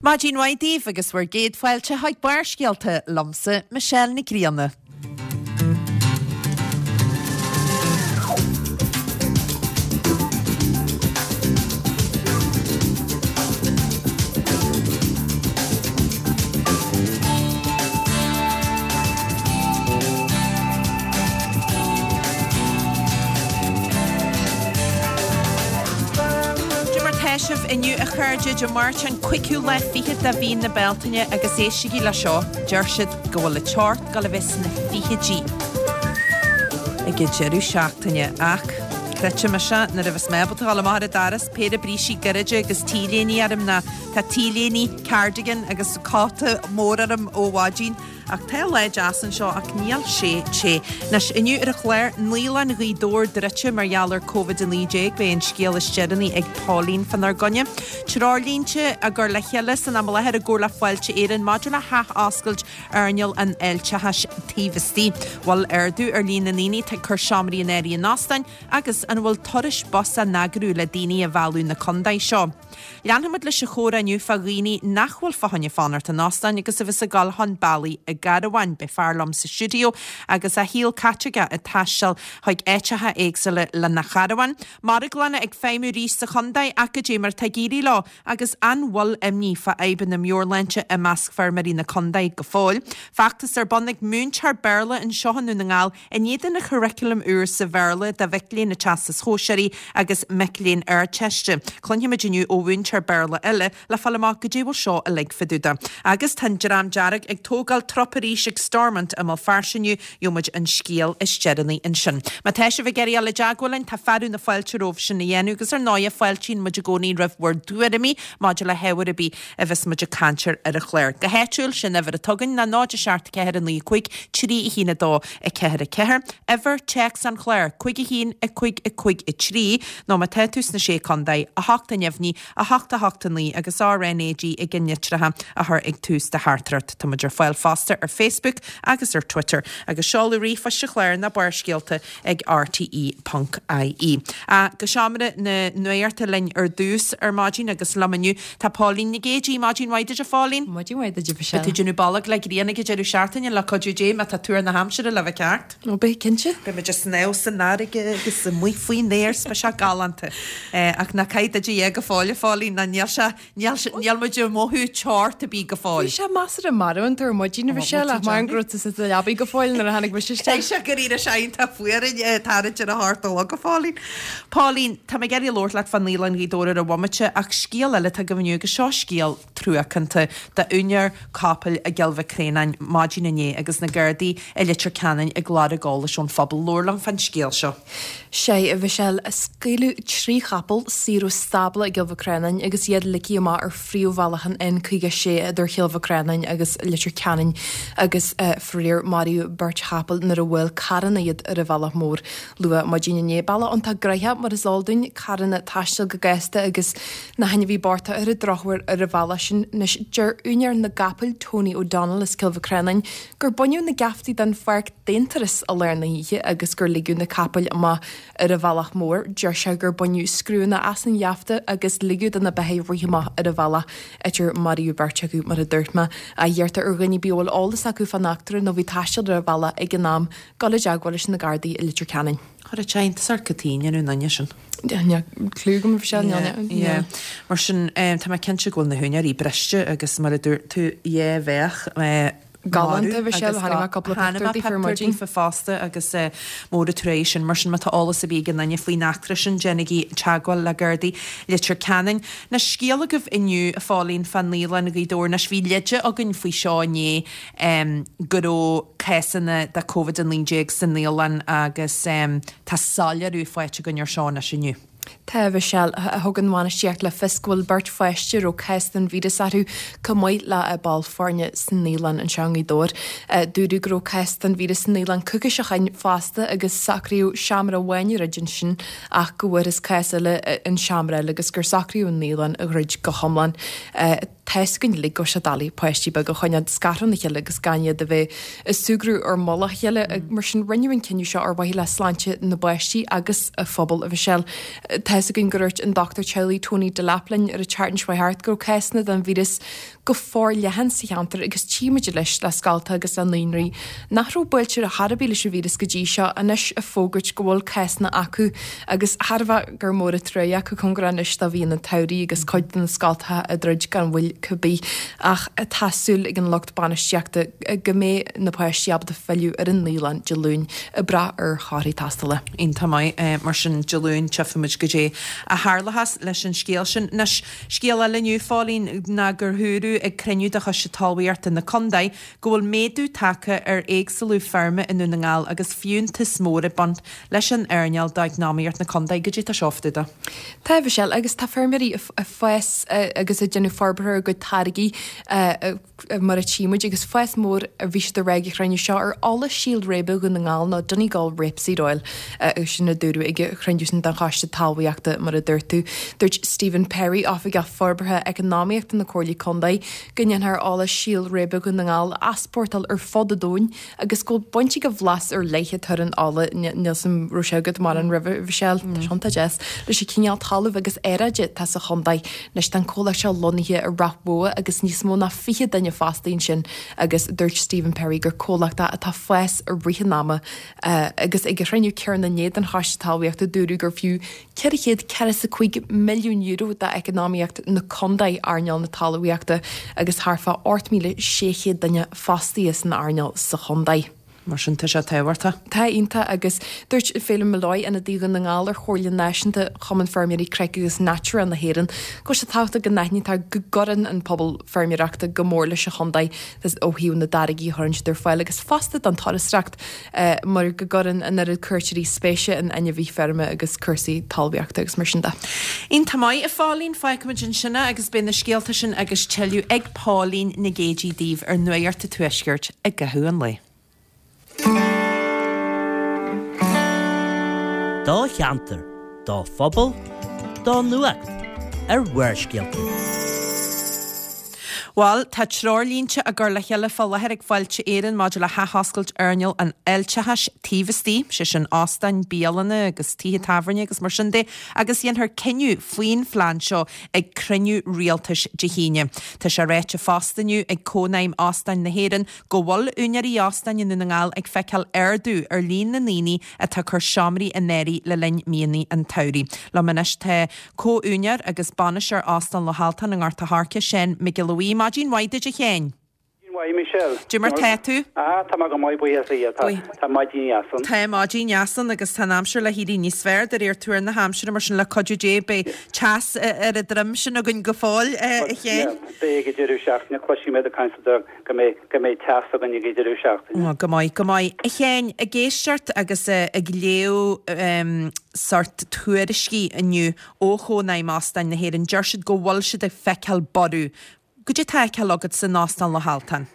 Maidin mhaith daoibh agus bhur gcéad fáilte chuig Barrscéalta liomsa, Michelle Nic Grianna. Cad é mar tá sibh inniu a chairde, Dé Máirt an 5ú lá fichead de mhí na Bealtaine agus éistigí le seo, deir siad go bhfuil an teocht ag dul a bheith sna fichidí ag an deireadh seachtaine ach creidfidh mise nuair a bheas mé ábalta a dhul amach ar an doras, péire brístí gairide agus T-léine orm ná tá T-léine, cardigan agus cóta mór orm ó mhaidin. Ach tá lá deas anseo ach níl sé te. Anois, inniu ar an chlár, Naíolann Ghaoth Dobhair druidte mar gheall ar Covid-19, beidh an scéal is deireanaí ag Pauline fánár gcoinne. Treoirlínte á gcur le chéile san am i láthair i gcomhar le Fáilte Éireann maidir le hathoscailt earnáil an fháilteachais taobh istigh. Bhfuil ardú ar líon na ndaoine atá ag cur seomraí in áirithe in óstáin agus an bhfuil turais bus á n-eagrú le daoine a mhealladh na contae seo? Leanfaimid leis an chomhrá inniu fá dhaoine nach bhfuil fá choinne fanacht in óstáin agus a bheas ag dul chun bealaigh i gcarbháin. Beidh fear liom sa stiúideo agus a shaol caite aige ag taisteal chuig áiteacha éagsúla lena charbhán. Marglanna ag feidhmiú arís sa chontae ach cad é mar atá ag éirí leo agus an bhfuil imní fá fhadhbanna meabhairshláinte i measc feirmeoirí na contae go fóill. Feachtas ar bun ag múinteoir Béarla anseo i nDún na nGall In éadan an churaclaim úr sa Bhéarla do mhic léinn na Teastais Shóisearaigh agus mic léinn Ardteiste. Cluinfimid inniu ó mhúinteoir Béarla eile le fáil amach goidé bhfuil seo uilig fá dtaobh de. Agus tá an Dream Dearg ag tógáil trup arís ag Stormont i mBéal Feirste inniu, gheobhaimid an scéal is deireanaí ansin. Má tá sibh ag iarraidh dul i dteagmháil linn, tá fearadh na fáilte romhaibh sin a dhéanamh agus ar ndóighe fáiltíonn muid i gcónaí roimh bhur dtuairimí maidir le hábhar ar bith a bheas muid ag caint air ar an chlár. Go háitiúil, sin uimhir atá againn ná 0 7 4 9 5 3 1 2 4 4. Uimhir téacs an chláir, 5 1 5 5 3, nó má tá tú sna Sé Contae, 8 a neamhní, 8 8 9 agus RnaG i gceannlitreacha a chur ag tús do theachtaireacht. Tá muid ar fáil fosta ar Facebook agus ar Twitter. Agus seoladh ríomhphoist an chláir ná Barrscéalta ag rte ponc ie. Go seomra na nuachta linn ar dtús ar maidin agus liom inniu tá Póilín Nic Géidigh. Maidin mhaith duit a Phóilín. Maidin mhaith duit a Mhichelle. Beidh tú ag déanamh bolg le grian ag an deireadh seachtaine le cuidiú Dé má tá tuar na haimsire le bheith ceart. Ó beidh cinnte. Beidh muid ag snámh san fharraige agus amuigh faoin aer 's beidh sé galánta. Ach ná caith do dhia go fóill a Phóilín ná níl sé Níl, níl muid ag mothú teocht ar bith go fóill. Bhí sé measartha marbhánta ar maidin a Mhichelle ach maram go raibh tú sa leabaidh go fóill nuair a tháinig mise isteach. Caithfidh sé go raibh sé iontach fuar thart ar a hocht a chlog a Phóilín. Póilín, tá mé ag iarraidh labhairt leat fá Naíolann Ghaoth Dobhair ar an bhomaite ach scéal eile atá agaibh inniu agus seo scéal truacánta d'úinéir capaill i gCill Mhic Réanáin maidin inné agus na Gardaí i Leitir Ceanainn ag lorg eolais ón phobal. Labhair liom fán scéal seo. Sea, a Mhichelle, scaoileadh 3 chapall saor ó stábla i gCill Mhic Réanáin agus iad ligthe amach ar phríomhbhealach an N56 idir Chill Mhic Réanáin agus Leitir Ceanainn agus faraor maraíodh beirt chapall nuair a bhuail carranna iad ar an bhealach mór luath maidin inné. Bealach iontach gnoitheach mar is eol dúinn, carranna ag taisteal go gasta agus na hainmhithe bochta ar an drochuair ar an bhealach sin. Anois, deir úinéir na gcapall, Tony O'Donnell as Cill Mhic Réanáin, gur baineadh na geaftaí den pháirc d'aonturas i lár na hoíche agus gur ligeadh na capaill amach ar an bhealach mór. Deir sé gur baineadh scriúnna as an gheafta agus ligeadh do na beithígh rith amach ar an bhealach áit ar maraíodh beirt acu, mar a dúirt mé. Iarrtar ar dhuine ar bith a bhfuil eolas acu fán eachtra nó a bhí ag taisteal ar an bhealach ag an am dul i dteagmháil leis na Gardaí i Leitir Ceanainn. Chuir sé iontas ort cad chuige a ndearna an duine sin. Níl clue agam a Mhichelle, Yeah. Mar sin, tá mé cinnte go bhfuil na húinéirí briste agus mar a dúirt tú, yeah, bheadh. Galánta, Mhichelle, chonaic mé cúpla pictiúr daofa ar maidin. daofa fosta agus mór an trua é sin. Mar sin, má tá eolas ar bith ag aon duine faoin eachtra sin, déanaigí teagmháil le Gardaí Leitir Ceanainn. Anois, scéal agaibh inniu, a Phóilín, fá Naíolann Ghaoth Dobhair. Anois, bhí leide againn faoi seo inné go raibh cásanna de Covid-19 sa naíolann agus tá soiléiriú faighte againn ar seo anois inniu. Tá, a Mhichelle. Thug an bhainistíocht le fios go bhfuil beirt pháiste a raibh cás den víreas orthu chomh maith le ball foirne sa naíolann anseo i nGaoth Dobhair. Dúradh go raibh cás den víreas sa naíolann coicís ó shin fosta agus socraíodh seomra amháin a dhruid ansin ach go bhfuarthas cás eile in seomra eile agus gur socraíodh an naíolann a dhruid go hiomlán. Tá 'fhios againn uilig go bhfuil sé doiligh páistí beaga a choinneáil scartha óna chéile agus gan iad a bheith ag súgradh ar mhullach a chéile. Mar sin, rinneadh an cinneadh seo ar mhaithe le sláinte na bpáistí agus an phobail, a Mhichelle. Tá 'fhios againn gur dhúirt an dochtúir teaghlaigh Tony Delap linn ar an tseachtain seo thart go raibh cásanna den víreas. go forleathan sa cheantar agus tchímid anois le scoltacha agus le naíonraí nach raibh buailte ar chor ar bith leis an víreas go dtí seo anois ag fógairt go bhfuil cásanna acu agus thar a bheith gur mór an truaighe acu cóngarach anois do mhí an tsamhraidh agus cuid de na scoltacha ag druid gan mhoill cibé ach tá súil ag an lucht bainistíochta go mbeidh na páistí ábalta filleadh ar an naíolann Dé Luain ag brath ar thorthaí tástála. Iontach maith. Mar sin Dé Luain tchífimid goidé a tharlóchas leis an scéal sin. Anois, scéal eile inniu, a Phóilín, ná gur dúradh ag cruinniú de Choiste Talmhaíochta na Condae go bhfuil méadú tagtha ar éagsúlú feirme i nDún na nGall agus fiúntas mór ag baint leis an earnáil d'eacnamaíocht na condae. Goidé tá seo fá dtaobh de? Tá, a Mhichelle, agus tá feirmeoirí ag fás agus ag déanamh forbartha ar a gcuid táirgí mar a tchí muid agus fás mór a bhí siad ag rá ag an chruinniú seo ar ola síl réibe Dhún na nGall nó Donegal Rapeseed Oil sin a dúradh ag an chruinniú sin den Choiste Talmhaíochta mar a dúirt tú. Dúirt Stephen Perry, Oifigeach Forbartha Eacnamaíochta na Comhairle Condae, go ndéanfar ola síl réibe Dhún na nGall a easpórtáil ar fud an domhain agus go bhfuil baint ag an bhlas ar leith atá ar an ola, níl 'fhios a'm raibh sé agat mórán roimhe, a Mhichelle, tá sé iontach deas, leis an chineál talaimh agus aeráide atá sa chontae. Anois tá an comhlacht seo lonnaithe i Ráth Bhoth agus níos mó ná 20 duine fostaithe ansin agus dúirt Stephen Perry gur comhlacht é atá ag fás i rith an ama agus ag an chruinniú céanna inné den Choiste Talmhaíochta dúradh gur fiú €445 milliún d'eacnamaíocht na condae earnáil na talmhaíochta agus thart fá 8,600 duine fostaithe san earnáil sa chondae. Mar sin tá sé tábhachtach. Tá, iontach agus dúirt Phelim Molloy, ionadaí Dhún na nGall ar Chomhairle Náisiúnta Chumann Feirmeoirí Cnoic agus Natura na hÉireann, go bhfuil sé tábhachtach go n-aithnítear go gcuireann an pobal feirmeoireachta go mór leis an chondae ó thaobh na dtáirgí a chuireann siad ar fáil agus fosta don turasóireacht. mar go gcuireann an oiread cuairteoirí spéise in ainmhithe feirme agus cúrsaí talmhaíochta agus mar sin de. Iontach maith, a Phóilín. Fágfaimid ansin é agus beidh na scéalta sin agus tuilleadh ag Póilín Nic Géidigh daoibh ar Nuacht an Tuaiscirt i gcaitheamh an lae. Do cheantar, do phobal, do nuacht ar Bharrscéalta. Bhuel, tá treoirlínte á gcur le chéile fá láthair ag Fáilte Éireann maidir le hathoscailt earnáil an fháilteachais taobh istigh, sé sin óstáin, bialanna agus tithe tábhairne agus mar sin de, agus dhéanfar cinneadh faoin phlean seo ag cruinniú rialtais Dé hAoine. Tá sé ráite fosta inniu ag Cónaidhm Óstáin na hÉireann go bhfuil úinéirí óstáin i nDún na nGall ag feiceáil ardú ar líon na ndaoine atá ag cur seomraí in áirithe le linn míonna an tsamhraidh. Liom anois tá Comh-úinéir agus bainisteoir Óstán Loch Altan i nGort a' Choirce, Seán Mac Giolla Bhuí. Maidin mhaith duit a Sheáin. Maidin mhaith, Michelle. Cad é mar tá tú? Ah, tá mé go maith, buíochas le Dia. Tá, tá maidin dheas ann. Tá maidin dheas ann agus tá an aimsir le héirí níos fearr de réir tuar na haimsire, mar sin le cuidiú Dé beidh teas ar an droim sin againn go fóill, a Sheáin. Beidh ag an deireadh seachtaine, cloisfidh mé ag caint go mbeidh, go mbeidh teas againn ag an deireadh seachtaine. Ó, go maith, go maith. A Sheáin, ag éisteacht agus ag léamh sórt tuairiscí inniu ó Chónaidhm Óstáin na hÉireann, deir siad go bhfuil siad ag feiceáil borradh. Goidé tá á fheiceáil agat san Óstán Loch Altan?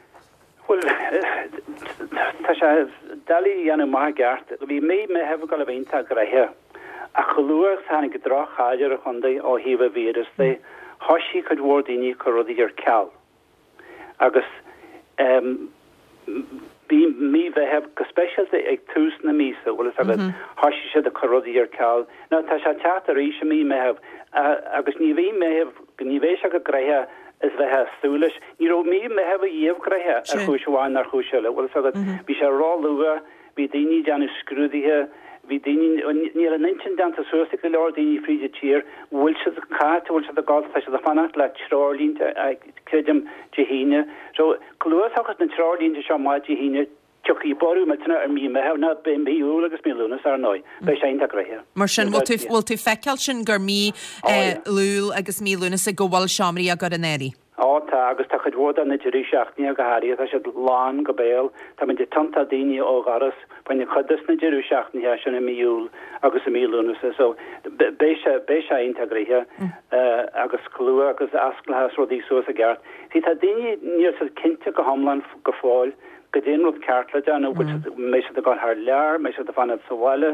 Bhuel, tá sé doiligh a dhéanamh amach i gceart. Bhí mí Meitheamh ag dul a bheith iontach gnoitheach, ach chomh luath agus a tháinig droch-cháil ar an chontae ó thaobh an víreas de, thoisigh cuid mhór daoine ag cur rudaí ar ceal. Agus bhí mí Mheithimh, go speisialta ag tús na míosa, bhfuil fhios agat, thoisigh siad ag cur rudaí ar ceal. Now tá sé ag teacht arís i mí Mheithimh agus ní bhí Meitheamh, ní bheidh sé chomh gnoitheach is bheifeá ag súil leis. Ní raibh mí Mheithimh ariamh gnoitheach ar chúis amháin nó ar chúis eile, bhfuil fhios agat. Bhí sé ró-luath. Bhí daoine ag déanamh scrúduithe, bhí daoine, níl a n-intinn déanta suas ag go leor daoine fríd an tír, bhfuil siad cá háit a bhfuil siad ag dul, tá siad ag fanacht le treoirlínte, creidim, Dé hAoine. So, chomh luath is a thiocfas na treoirlínte seo amach Dé hAoine, tiocfaidh borradh millteanach ar mí Meitheamh, ná beidh mí Iúil agus mí Lúnasa, ar ndóigh, beidh sé iontach gnoitheach. Mar sin, bhfuil tú, bhfuil tú ag feiceáil sin gur mí Iúil agus mí Lúnasa go bhfuil seomraí á gcur in áirithe? Á tá, agus tá cuid mhór de na deirí seachtaine go háirithe, tá siad lán go béal. Táimid ag tiontú daoine ó dhoras fá choinne cuid des na deireadh seachtaine sin i mí Iúil agus i mí Lúnasa. So beidh sé, beidh sé iontach gnoitheach agus chomh luath agus a osclóchas rudaí suas i gceart. See tá daoine, níl siad cinnte go hiomlán go fóill goidé an rud ceart le déanamh, bhfuil siad, mbeidh siad ag dul thar lear, mbeidh siad ag fanacht sa bhaile,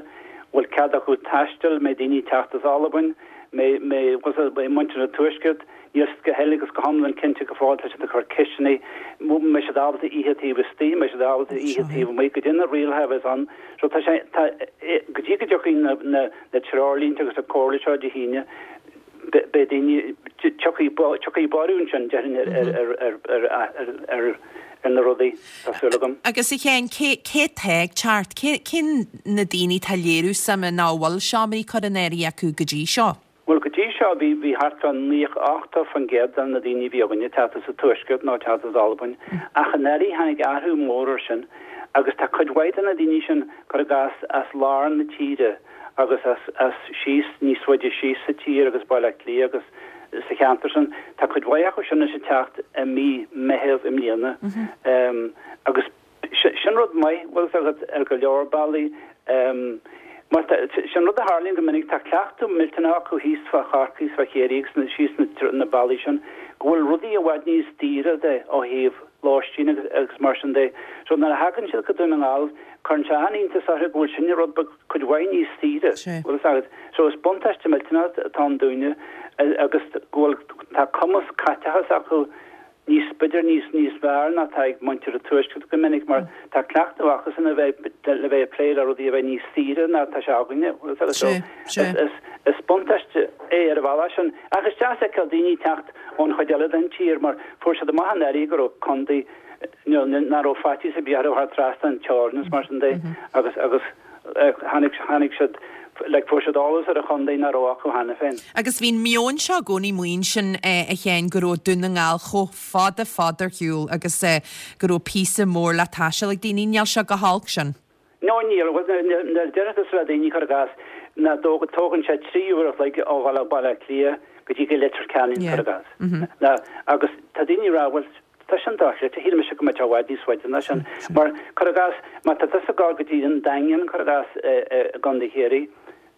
bhfuil cead acu taisteal, mbeidh daoine ag teacht as Albain, mbeidh, mbeidh, mbeidh muintir an Tuaiscirt, Níl siad go huile agus go hiomlán cinnte go fóill, tá siad ag cur ceisteanna, mbeidh siad ábalta ithe taobh istigh, mbeidh siad ábalta ithe taobh amuigh, goidé na rialacha a bheas ann. So tá sé, tá, go dtí go dtiocfaidh na, na, na treoirlínte agus na comhairle seo Dé hAoine, Beidh daoine, tiocfaidh borradh ansin, déarfainn, ar na rudaí, tá súil agam. Agus a Sheáin, cé atá ag teacht? Cé na daoine atá ag léiriú suime nó a bhfuil seomraí curtha in áirithe acu go dtí seo? Bhuel, go dtí seo bhí, bhí thart fá 90, 80% de na daoine a bhí againne ag teacht as an Tuaisceart nó ag teacht as Albain. Ach anuraidh tháinig athrú mór air sin agus tá cuid mhaith de na daoine sin, cuir i gcás, as lár na tíre. agus as, as síos, níos faide síos sa tír agus Baile Átha Cliath agus sa cheantar sin. Tá cuid mhaith acu sin anois ag teacht i mí Meitheamh i mbliana. Agus sin rud maith, bhfuil fhios agat, ar go leor bealaí. Mar tá, sin rud a tharlaíonn go minic, tá cleachtadh millteanach acu thíos fá Chorcaigh is fá Chiarraí agus síos na bealaí sin, go bhfuil rudaí i bhfad níos daoire de ó thaobh lóistín agus, agus mar sin de. So nuair a thagann siad go Dún na nGall, Cuireann sé an-iontas orthu go bhfuil sin rud beag cuid mhaith níos saoire, bhfuil fhios agat. So is buntáiste millteanach atá ann dúinne agus go bhfuil, tá cumas caiteachais acu níos, b'fhéidir níos, níos fearr ná atá ag muintir an Tuaiscirt go minic mar tá cleachtadh acusan a bheith, le bheith ag plé le rudaí a bheith níos saoire ná atá sé againne, bhfuil fhios agat. So is, is buntáiste é ar an bhealach sin. Ach is deas feiceáil daoine ag teacht ón chuid eile den tír mar fuair siad amach anuraidh go raibh contae, nach raibh faitíos ar bith orthu thar trasna an teorainn is mar sin de agus agus tháinig tháinig siad like fuair siad eolas ar an chontae nach raibh acu cheana féin. Agus bhí an meon seo i gcónaí amuigh ansin a Sheáin go raibh Dún na nGall chomh fada fada ar shiúl agus go raibh píosa mór le taisteal ag daoine. Níl sé go holc sin. No níl, bhuel nuair a deir tusa le daoine cuir i gcás ná tógann sé 3 uair a chloig ó dhul ó Baile Átha Cliath go dtí go Leitir Ceanainn cuir i gcás. Ná agus tá daoine ag rá bhuel tá sin dochreidte, shíl mise go mbeadh sé i bhfad níos faide ná sin. Mar cuir i gcás má tá tusa ag dul go dtí an Daingean cuir i gcás i gContae Chiarraí,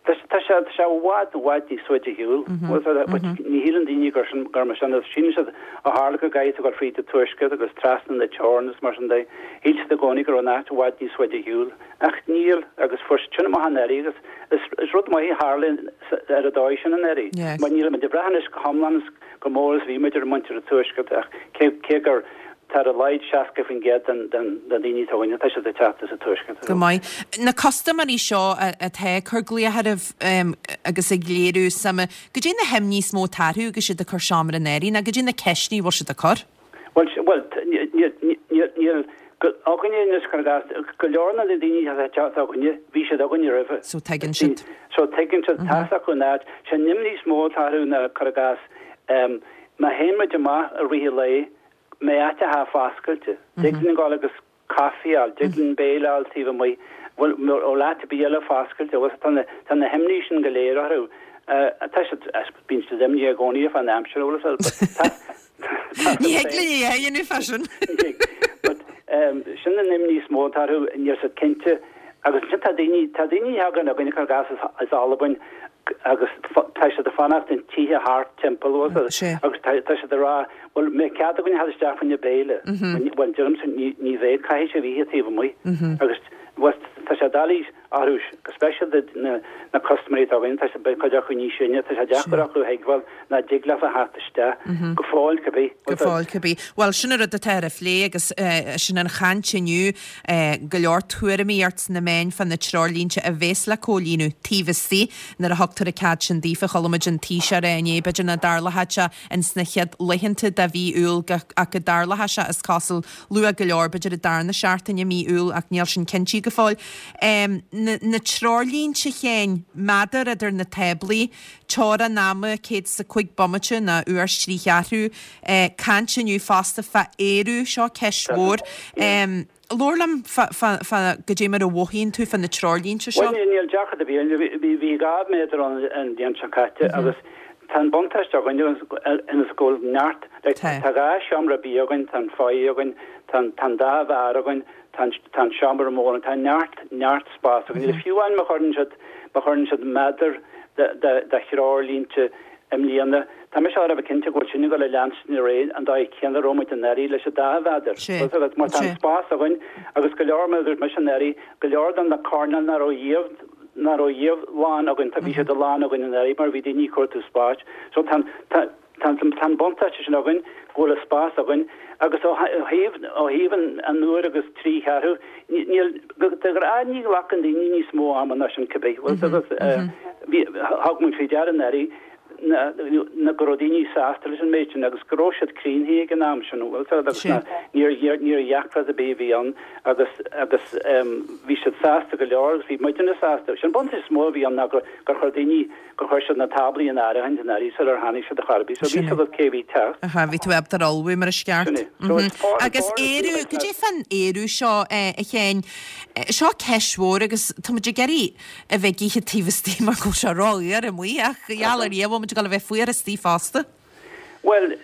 Tá sé, tá sé i bhfad, i bhfad níos faide ar shiúl. But ní shíleann daoine gur sin, gur mar sin, síleann siad ó tharla go gcaithfidh tú dul fríd an tuaisceart agus trasna na teorann is mar sin de, shíl siad i gcónaí go raibh an áit i bhfad níos faide ar shiúl. Ach níl, agus fuair siad sin amach anuraidh agus is, is rud maith a tharla ar an dóigh sin anuraidh. Mar níl muid ag brath anois go hiomlán is go mór is a bhí muid ar muintir an tuaiscirt ach cé, cé gur, Tá ar a laghad 60% den daoine atá againne, tá siad ag teacht as an tuaisceart. Go maith. Na custaiméirí seo atá ag cur glaoch oraibh agus ag léiriú suime, goidé na himní is mó atá orthu agus iad ag cur seomra in áirithe, nó goidé na ceisteanna a bhfuil siad ag cur? Bhuel, bhuel, níl againne anois, cuir i gcás, go leor de na daoine atá ag teacht againne, bhí siad againne roimhe. So tuigeann siad. So tuigeann siad, tá fhios acu an áit. Sé an imní is mó atá orthu ná, cuir i gcás, má théann muid amach i rith an lae, mbeidh áiteacha foscailte. Dtig linn dul agus caife a fháil, dtig linn béile a fháil taobh amuigh, bhfuil bhfuil áit ar bith eile foscailte, bhfuil tá na tá na himní sin go léir orthu. Tá siad bíonn siad imníoch i gcónaí fán aimsir, bhfuil fhios agat, but tá tá Ní thig linn é a dhéanamh fá sin. But sin an imní is mó atá orthu, níl siad cinnte. Agus ansin tá daoine tá daoine a thagann againn cuir i gcás as as Albain agus tá siad ag fanacht in tithe thart timpeall agus tá siad ag rá bhuel mbeidh cead againn a theacht isteach fá choinne béile bhuel deirimse ní bheidh caithfidh sibh ithe taobh amuigh agus bhuel tá sé doiligh orthu go speisialta na na custaiméirí atá againn tá siad beidh cuid acu níos sine tá sé deacair acu a thuigbheáil nach dtig leofa a theacht isteach go fóill cibé. Go fóill cibé. Bhuel sin an rud atá ar a phlé agus sin an chaint inniu Go leor tuairimí ort sna meáin fá na treoirlínte a bhéas le comhlíonadh taobh istigh nuair a thugtar an cead sin daofa. Chuala muid an Taoiseach a rá inné, b'fhéidir nach dtarlóidh sé ins na chéad laethanta de mhí Iúil ach go dtarlóidh sé, is cosúil, luath go leor, b'fhéidir an darna seachtain i mí Iúil ach níl sin cinntithe go fóill. Na treoirlínte a Sheáin, méadar idir na táblaí, teorainn ama 105 bomaite nó uair is trí cheathrú. Caint inniu fosta fá aerú, seo ceist mhór. Labhair liom fá goidé mar a mhothaíonn tú fá na treoirlínte seo. Bhuel, níl deacracht ar bith ann. Bhí 2 mhéadar ann an bhliain seo caite agus tá an buntáiste againn ionas go bhfuil neart, like, tá 2 seomra bia againn, tá an foyer againn, tá an dá bheár againn, tá an seomra mór ann, tá neart, neart spás againn. Agus fiú amháin má chuireann siad, má chuireann siad méadar de threoirlínte i mbliana, tá mise thar a bheith cinnte go bhfuil sin ag dul a leanstan ar aghaidh an dóigh chéanna a raibh muid anuraidh leis an dá mhéadar. Mar tá an spás againn agus go leor, mar a dúirt mise anuraidh, go leor de na coirnéil nach raibh riamh, nach raibh riamh lán againn, tá, bhí siad lán againn anuraidh mar bhí daoine ag cuartú spáis. So tá, tá, Tá an buntáiste sin againn go bhfuil an spás againn agus ó thaobh ó thaobh an uair agus trí cheathrú, níl, de ghnáth ní ghlacann daoine níos mó ama ná sin cibé. Bhfuil fhios agat, bhí, thug muid faoi deara anuraidh. Ná go raibh daoine sásta leis an méid sin agus go raibh siad críonnaithe ag an am sin, bhfuil 'fhios agat, agus ná níor níor dheacracht ar bith a bhí ann agus agus bhí siad sásta go leor agus bhí muidne sásta. Sin buntáiste is mó a bhí ann ná gur gur chuir daoine, gur chuir siad na táblaí in áirithint in áirithe sular tháinig siad ar chor ar bith. So bhí 'fhios agat cé a bhí ag teacht. Aha, bhí tú ábalta ar ullmhú mar is ceart. Sin é. So it's far Agus aerú, goidé fán aerú seo, a Sheáin, seo ceist mhór agus tá muid ag iarraidh a bheith ag ithe taobh istigh mar go bhfuil sé rófhuar amuigh ach gheall ar Dhia bhfuil muid ag dul a bheith fuar istigh fosta. Bhuel,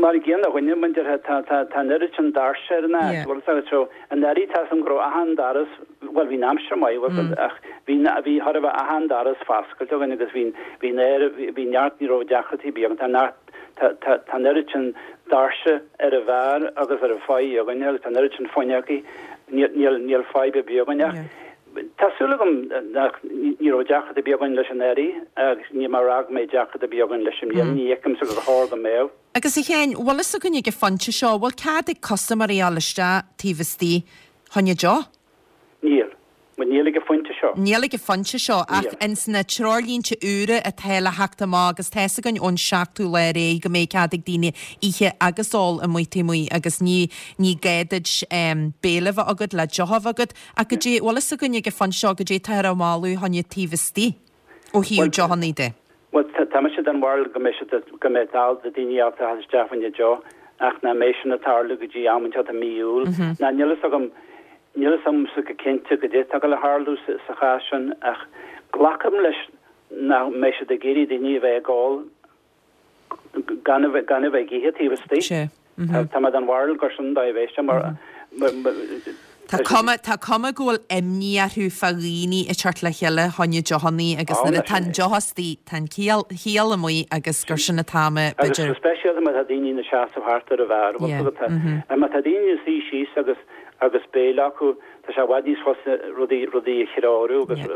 mar a gcéanna a dhuine, mar a déarfá, tá, tá, tá an oiread sin doirse ar an áit, bhfuil 'fhios agat, so anuraidh tá 'fhios agam go raibh achan doras, bhuel bhí an aimsir maith, bhfuil 'fhios agat, ach bhí, bhí, chóir a bheith achan doras foscailte againn agus bhí, bhí an aer, bhí neart, ní raibh deacrachtaí ar bith againn, tá neart, tá, tá, tá an oiread sin doirse ar an bheár agus ar an phaidh againn agus tá an oiread sin fuinneogaí, níl, níl, níl fadhb ar bith againn ach, Tá súil agam nach, ní raibh deacracht ar bith againn leis anuraidh agus níl mé ag rá go mbeidh deacracht ar bith againn leis i mbliana, ní fheicimse gur chóir go mbeadh. Agus a Sheáin, bhfuil fhios againn ag an phointe seo, bhfuil cead ag custaiméirí a dhul isteach taobh istigh fá choinne deoch? Níl. Bhuel, níl ag an phointe seo. Níl ag an phointe seo, ach ins na treoirlínte úra atá le theacht amach agus tá fhios againn ón seachtú lá ar aghaidh go mbeidh cead ag daoine ithe agus ól amuigh taobh amuigh agus ní, ní gá duit béile a bheith agat le deoch a bheith agat. Ach goidé, bhfuil fhios againn ag an phointe seo goidé táthar á mholadh fá choinne taobh istigh ó thaobh deochanna de. Bhuel, tá mise den bharúil go mbeidh siad, go mbeidh dal do daoine ábalta a theacht isteach fá choinne deoch ach nach mbeidh sin ag tarlú go dtí am inteacht i mí Iúil. Ná níl fhios agam, níl fhios agamsa go cinnte goidé atá ag dul a tharlú sa chás sin ach glacaim leis nach mbeidh siad ag iarraidh daoine a bheith ag ól gan a bheith gan a bheith ag ithe taobh istigh. Tá mé den bharúil gur sin an dóigh a bheidh sé mar Tá cuma tá cuma go bhfuil imní orthu fá dhaoine ag teacht le chéile fá choinne deochannaí agus nuair atá an deoch istigh tá an ciall chiall amuigh agus gur sin atá mé Agus go speisialta má tá daoine ina seasamh thart ar an bheár má tá daoine ina suí síos agus agus béile acu tá sé i bhfad níos fusa rudaí rudaí a threorú agus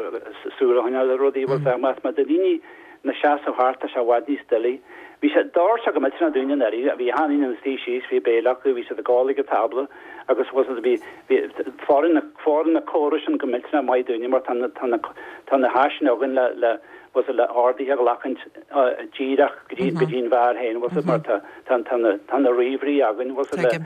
súil a choinneáil ar rudaí má tá daoine ina seasamh thart, tá sé i bhfad níos doiligh. Bhí sé d'oir go millteanach dúinne anuraidh, bhí achan duine ina suí síos, bhí béile acu, bhí siad ag ól ag an tábla agus was it bhí, bhí, fóireann na, fóireann na córais sin go millteanach maith dúinne mar tá na, tá na, tá na háiseanna againn le, le, was it le horduithe a ghlacaint díreach go dtí, go dtí an bheár féin, was it mar tá, tá, tá na, tá na ríomhairí againn, was it le,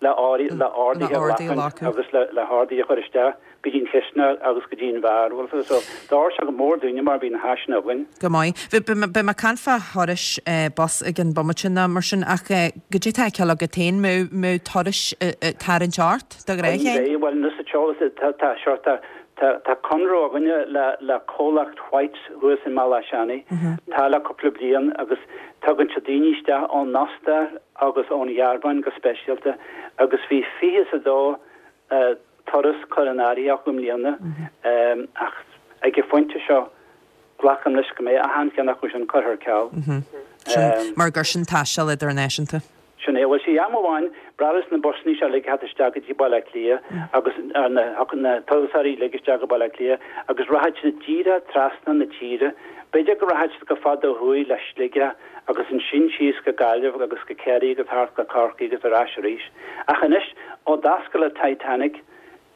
le le orduithe a ghlacaint agus le, le horduithe a chur isteach. go dtí an chisteanach agus go dtí an bheár, bhfuil fhios agat, so d'oir sé go mór dúinne mar bhí na háiseanna againn. Go maith. Beidh mé ag caint fá thurais bus ag an bomaite nó mar sin ach goidé atá ar feiceáil agat féin, mbeidh turais ag tarraingt ort de ghnáth, a Sheáin? Bhuel, anois sa t-eolas, tá, tá, sure, tá, tá, tá conradh againne le, le comhlacht Whites thuas i mBealach Seanaidh, tá le cúpla bliain agus tugann siad daoine isteach ón Ostair agus ón Ghearmáin go speisialta agus bhí 22 turas curtha in áirithe acu i mbliana ach ag an phointe seo glacaim leis go mbeidh achan cheann acu sin curtha ar ceal. Sin mar gur sin taisteal idirnáisiúnta. Sin é. Bhuel, sea, am amháin, b'bhreá leis na busannaí seo uilig a theacht isteach go dtí Baile Átha Cliath agus na turasóirí uilig isteach go Baile Átha Cliath agus rachadh siad díreach trasna na tíre. B'fhéidir go rachadh siad chomh fada ó thuaidh le Sligeach agus ansin síos go Gaillimh agus go Ciarraí agus thart go Corcaigh agus ar ais arís. Ach anois, ó d'oscail an Titanic,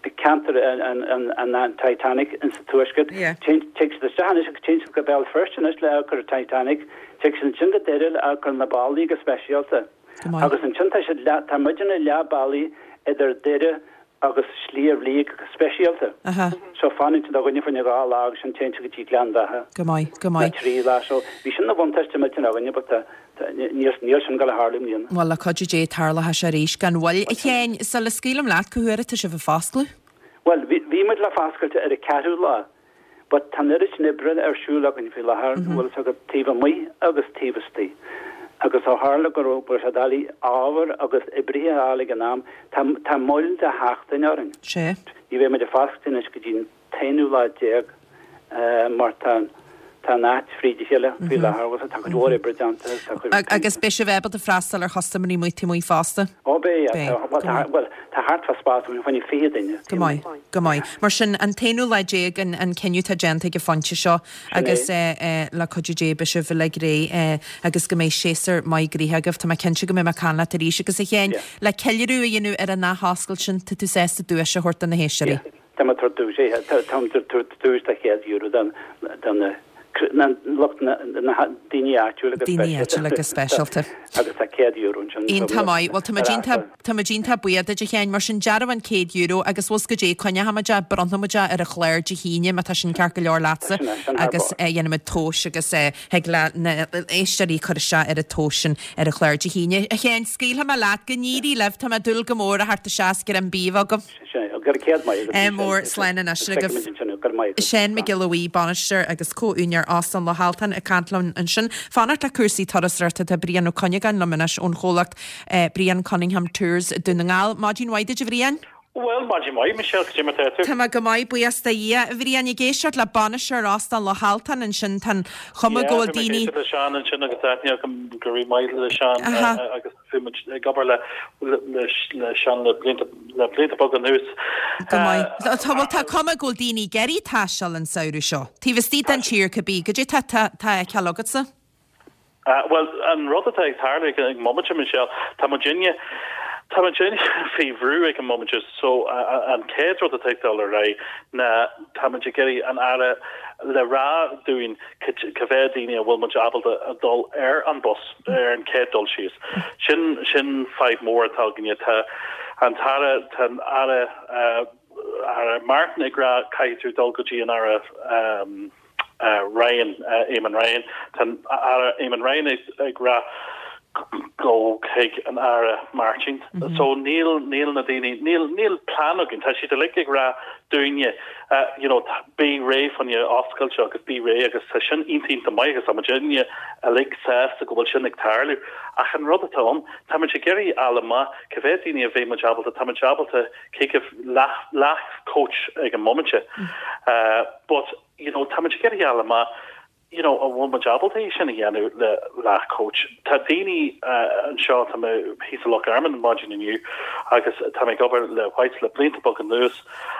ceantar an Titanic insa Tuaisceart, tig siad isteach anois agus téann siad go Béal Feirste anois le amharc ar an Titanic, tig siad ansin go Doire le amharc ar na ballaí go speisialta. Agus ansin tá siad leath, tá muidne leath bealaigh idir Doire agus Sliabh Liag go speisialta. So fanann siad againne fá choinne dhá lá agus ansin téann siad go dtí Gleann Bheatha. Go maith, go maith. Nó trí lá. So bhí sin ina bhuntáiste millteanach againne but tá, tá, níl, níl sin ag dul a tharlú i mbliana. Bhuel, le cuidiú Dé tarlóidh sé arís gan mhoill. A Sheáin, sula scaoilim leat, cá huair atá sibh ag foscladh? Bhuel, bhí, bhí muid le foscailt ar an ceathrú lá. But tá an oiread sin oibre ar siúl againn faoi láthair, bhfuil fhios agat, taobh amuigh agus taobh istigh. Agus ó tharla go raibh sé doiligh ábhar agus oibrithe a fháil ag an am, tá, tá moill de sheachtain orainn. Sea. Ní bheidh muid ag foscailt anois go dtí an t-aonú lá déag mar tá, tá an áit fríd a chéile faoi láthair, bhfuil fhios agat, tá cuid mhór oibre déanta agus tá cuid. Agus beidh sibh ábalta freastal ar chustaiméirí amuigh taobh amuigh fosta? Ó beidh, yeah. Bhuel, tá, bhuel, tá thart fá spás againn fá choinne 20 duine. Go maith, go maith. Mar sin, an t-aonú lá déag an, an cinneadh atá déanta ag an phointe seo agus le cuidiú Dé beidh sibh uilig réidh agus go mbeidh séasúr maith gnoitheach agaibh. Tá mé cinnte go mbeidh mé ag caint leat arís agus a Sheáin, le ceiliúradh a dhéanamh ar an athoscailt sin, tá tú sásta duais a thabhairt do na héisteoirí? Tá mé ag tabhairt duais, táim ag tabhairt duais de €100 do na. Na lucht na daoine áitiúla go Daoine áitiúla go speisialta. Agus tá €100 ansin. Iontach maith. Bhuel, tá muid iontach, tá muid iontach buíoch duit, a Sheáin. Mar sin, dearbhán €100 agus bhfuil 's goidé, coinneoidh muid é, bronnfaidh muid é ar an chlár Dé hAoine, má tá sin ceart go leor leatsa. Sin é, sin thar Agus barr. dhéanfaidh muid tomhas agus thig le na éisteoirí cur isteach ar an tomhas sin ar an chlár Dé hAoine. A Sheáin, scaoilfidh mé leat, go n-éirí libh, tá mé ag dúil go mór a theacht isteach is greim bídh a bheith agaibh. Go raibh céad maith agat. Ádh mór, slán anois agaibh. Seán Mac Giolla Bhuí, bainisteoir agus comh-úinéir Óstán Loch Altan ag caint linn ansin. Fanacht le cúrsaí turasóireachta tá Brian Ó Cuinneagáin liom anois ón chomhlacht Brian Cunningham Tours, Dún na nGall. Maidin mhaith duit a Bhriain. Bhuel, maidin mhaith, Michelle, cad é mar tá tú? Tá mé go maith, buíochas do Dhia. A Bhriain, ag éisteacht le bainisteoir Óstán Loch Altan ansin, tá an chuma Yeah, go bhfuil bhí mé ag daoine. éisteacht le Seán ansin agus aithne agam go rí-mhaith le Seán agus Bhí muid ag obair le le Seán le blianta le blianta beaga anuas. Go maith. Tá bhuel tá cuma go bhfuil daoine ag iarraidh taisteal an samhradh seo. Taobh istigh den tír cibé. Goidé tá tá tá á fheiceáil agatsa? Bhuel an rud atá ag tarlú ag an mbomaite Michelle, tá muidinne tá muidinne faoi bhrú ag an mbomaite so an chéad rud atá ag dul ar aghaidh ná tá muid ag iarraidh an Aire le rá dúinn cá mhéad daoine a bhfuil muid ábalta a dhul ar an bus ar an chéad dul síos. Sin, sin fadhb mór atá againne. Tá an tAire, tá an Aire, Aire Martin ag rá caithfidh tú dul go dtí an Aire Ryan, Eamon Ryan. Tá an Aire Eamon Ryan ag rá go chuig an Aire Martin. So níl, níl na daoine, níl, níl plean againn. Tá siad uilig ag rá dúinne you know, bí réidh fá choinne oscailte agus bí réidh agus tá sin iontach iontach maith agus tá muidinne uilig sásta go bhfuil sin ag tarlú. Ach an rud atá ann, tá muid ag iarraidh fháil amach cá mhéad daoine a bheidh muid ábalta, tá muid ábalta caoga leath, leath coach ag an mbomaite. But, you know, tá muid ag iarraidh fháil amach you know, an bhfuil muid ábalta é sin a dhéanamh le leath coach. Tá daoine anseo, tá mé thíos i Loch Garman maidin inniu agus tá mé ag obair le Whites le blianta beaga anuas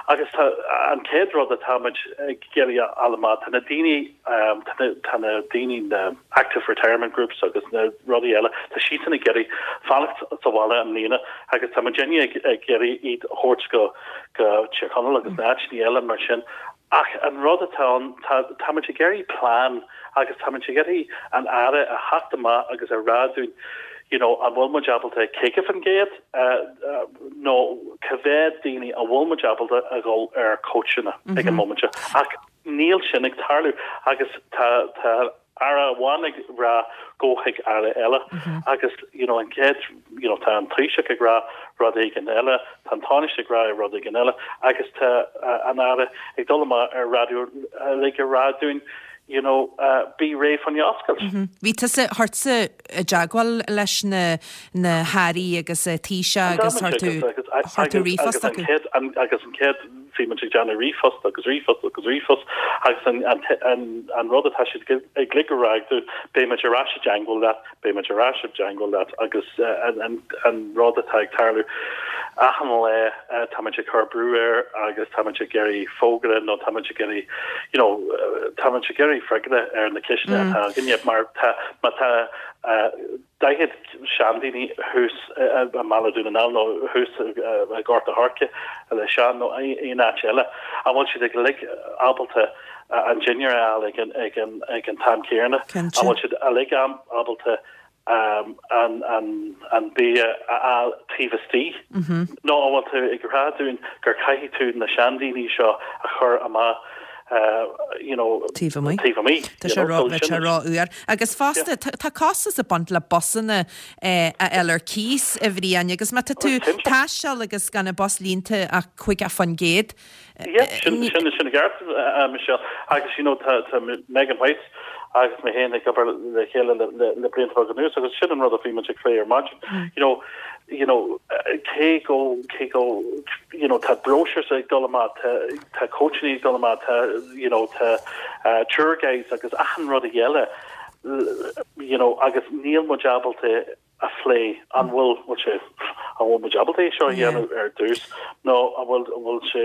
agus tá an chéad rud atá muid ag iarraidh a fháil amach, tá na daoine, tá na, tá na daoine, na active retirement groups agus na rudaí eile, tá siadsan ag iarraidh fanacht sa bhaile i mbliana agus tá muidinne ag, ag iarraidh iad a thabhairt go, go Tír Chonaill agus na áiteanna eile mar sin. Ach an rud atá ann, tá, tá muid ag iarraidh plean agus tá muid ag iarraidh an Aire a theacht amach agus a rá dúinn, you know, an bhfuil muid ábalta 50% nó cá mhéad daoine a bhfuil muid ábalta a dhul ar cóitseanna ag an mbomaite. Ach níl sin ag tarlú agus tá, tá, Aire amháin ag rá gabh chuig Aire eile agus you know an chéad you know tá an Taoiseach ag rá rud éigin eile, tá an Tánaiste ag rá rud éigin eile agus tá an Aire ag dul amach ar raidió uilig ag rá dúinn you know bí réidh fá choinne oscailt. Bhí tusa, chuir tusa i dteagmháil leis na na hAirí agus Taoiseach agus chuir tú chuir tú ríomhphost chucu. Agus an chéad Bhí muid ag déanamh ríomhphost agus ríomhphost agus ríomhphost agus an rud atá siad uilig ag rá dúinn, beidh muid ar ais i dteangmháil leat, beidh muid ar ais i dteangmháil leat agus an rud atá ag tarlú achan lá tá muid ag cur brú air agus tá muid ag iarraidh fógra nó tá muid ag iarraidh you know tá muid ag iarraidh freagra ar na ceisteanna atá againne mar tá má tá 40 seandaoine thuas i mBaile Dhún na nGall nó thuas i Gort a' Choirce le Seán nó aon áit eile, an bhfuil siad uilig ábalta an dinnéar a fháil ag an ag an t-am céanna? An bhfuil siad uilig ábalta an bia a fháil taobh istigh? Nó an bhfuil tú ag rá dúinn gur caithfidh tú na seandaoine seo a chur amach you know, taobh amuigh? Taobh amuigh. Tá sé ró-fhuar. Agus fosta, tá costas ag baint le busanna a fháil ar cíos, a Bhriain, agus má tá tú ag taisteal agus gan an bus líonta ach 50%. Yeah, sin sin sin ceart, Michelle. Agus you know tá tá Megan White agus mé féin ag obair le chéile le le le blianta beaga anuas agus sin an rud a bhí muid ag plé ar maidin. You know, you know, cé go cé go you know tá brochures ag dul amach, tá tá coaching ag dul amach, tá you know tá tour guides agus achan rud eile you know agus níl muid ábalta a phlé an bhfuil bhfuil sé an bhfuil muid ábalta é seo a dhéanamh ar dtús nó an bhfuil an bhfuil sé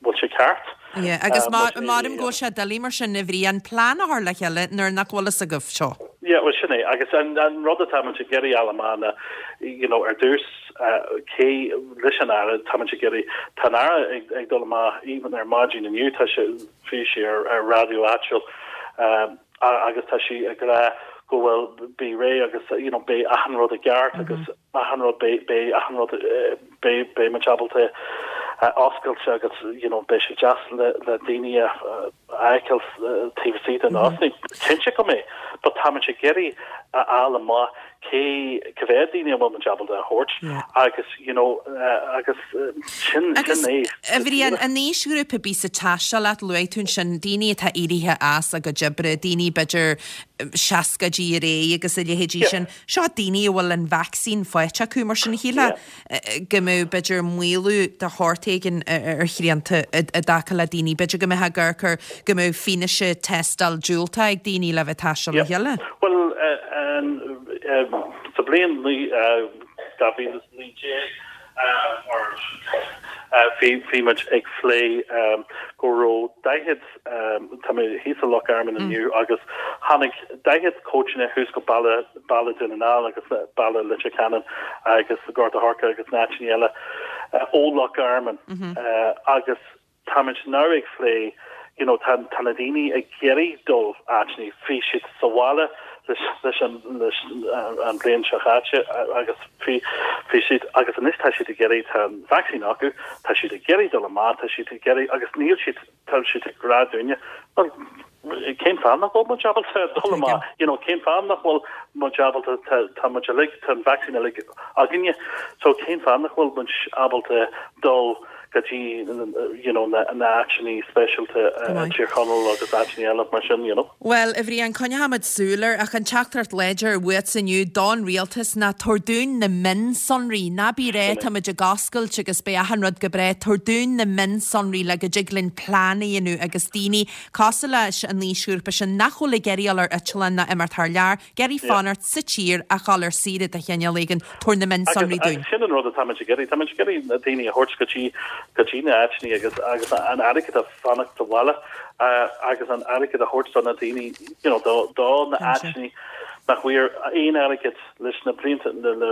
bhfuil sé ceart. Yeah, agus maram go bhfuil sé doiligh mar sin a Bhriain plean a chur le chéile nuair nach bhfuil fhios agaibh seo. Yeah, well sin é agus an an rud atá muid ag iarraidh fháil amach ná you know ar dtús cé leis an Aire tá muid ag iarraidh tá an Aire ag ag dul amach even ar maidin inniu tá sé bhí sé ar ar raidió áitiúil. Agus tá sí ag rá go bhfuil bí réidh agus you know beidh achan rud i gceart agus achan rud beidh beidh achan rud beidh beidh muid ábalta oscailt agus you know beidh sé deas le le daoine a fheiceáil taobh istigh den áit. Cinnte go mbeidh but tá muid ag iarraidh a fháil amach cé cé mhéad daoine a bhfuil muid ábalta a thabhairt agus you know agus sin Agus sin é. a Bhriain, an aoisghrúpa a bíos ag taisteal leat, luaigh tú ansin daoine atá éirithe as a gcuid oibre, daoine b'fhéidir seascaidí ar aghaidh agus a leithéidí sin. Seo daoine a bhfuil an vacsaín faighte acu, mar sin shílfeá go mbeadh b'fhéidir maolú de shórt éigin ar shrianta i dtaca le daoine, b'fhéidir go mbeifeá ag amharc ar go mbeadh fianaise tástáil diúltach ag daoine le bheith ag taisteal le chéile. Bhuel, sa bhliain 2019 bhí muid ag phlé go raibh 40, tá mé thíos i Loch Garman inniu agus tháinig 40 cóitseanna thuas go Baile, Baile Dhún na nGall agus Baile Leitir Ceanainn agus Gort a' Choirce agus na áiteanna eile ó Loch Garman agus táimid now ag phlé you know tá tá na daoine ag iarraidh dul áiteanna, bhí siad sa bhaile leis leis an leis an bhliain seo chaite agus bhí bhí siad agus anois tá siad ag iarraidh tá an vacsaín acu, tá siad ag iarraidh dul amach, tá siad ag iarraidh agus níl siad tá siad ag rá dúinne well cén fáth nach bhfuil muid ábalta dul amach you know cén fáth nach bhfuil muid ábalta tá tá muid uilig tá an vacsaín uilig againne so cén fáth nach bhfuil muid ábalta dul go dtí you know na na áiteanna speisialta i Tír Chonaill agus áiteanna eile mar sin you know. Bhuel, a Bhriain, coinneochaimid súil air, ach an teachtaireacht láidir uaitse inniu don rialtas ná tabhair dúinn na mionsonraí. Ná bí ag rá tá muid ag oscailt agus beidh achan rud go breá. Tabhair dúinn na mionsonraí le go dtig linn plean a dhéanamh agus daoine cosúil leis an aoisghrúpa sin nach bhfuil ag iarraidh dul ar eitleán ná imeacht thar lear, ag iarraidh fanacht sa tír ach dul ar saoire de chineál éigin, tabhair na mionsonraí dúinn. Agus sin an rud atá muid ag iarraidh. Tá muid ag iarraidh na daoine a thabhairt go dtí go dtí na áiteanna agus agus an airgead a fanacht sa bhaile agus an airgead a thabhairt do na daoine you know do do na áiteanna nach bhfuair aon airgead leis na blianta le le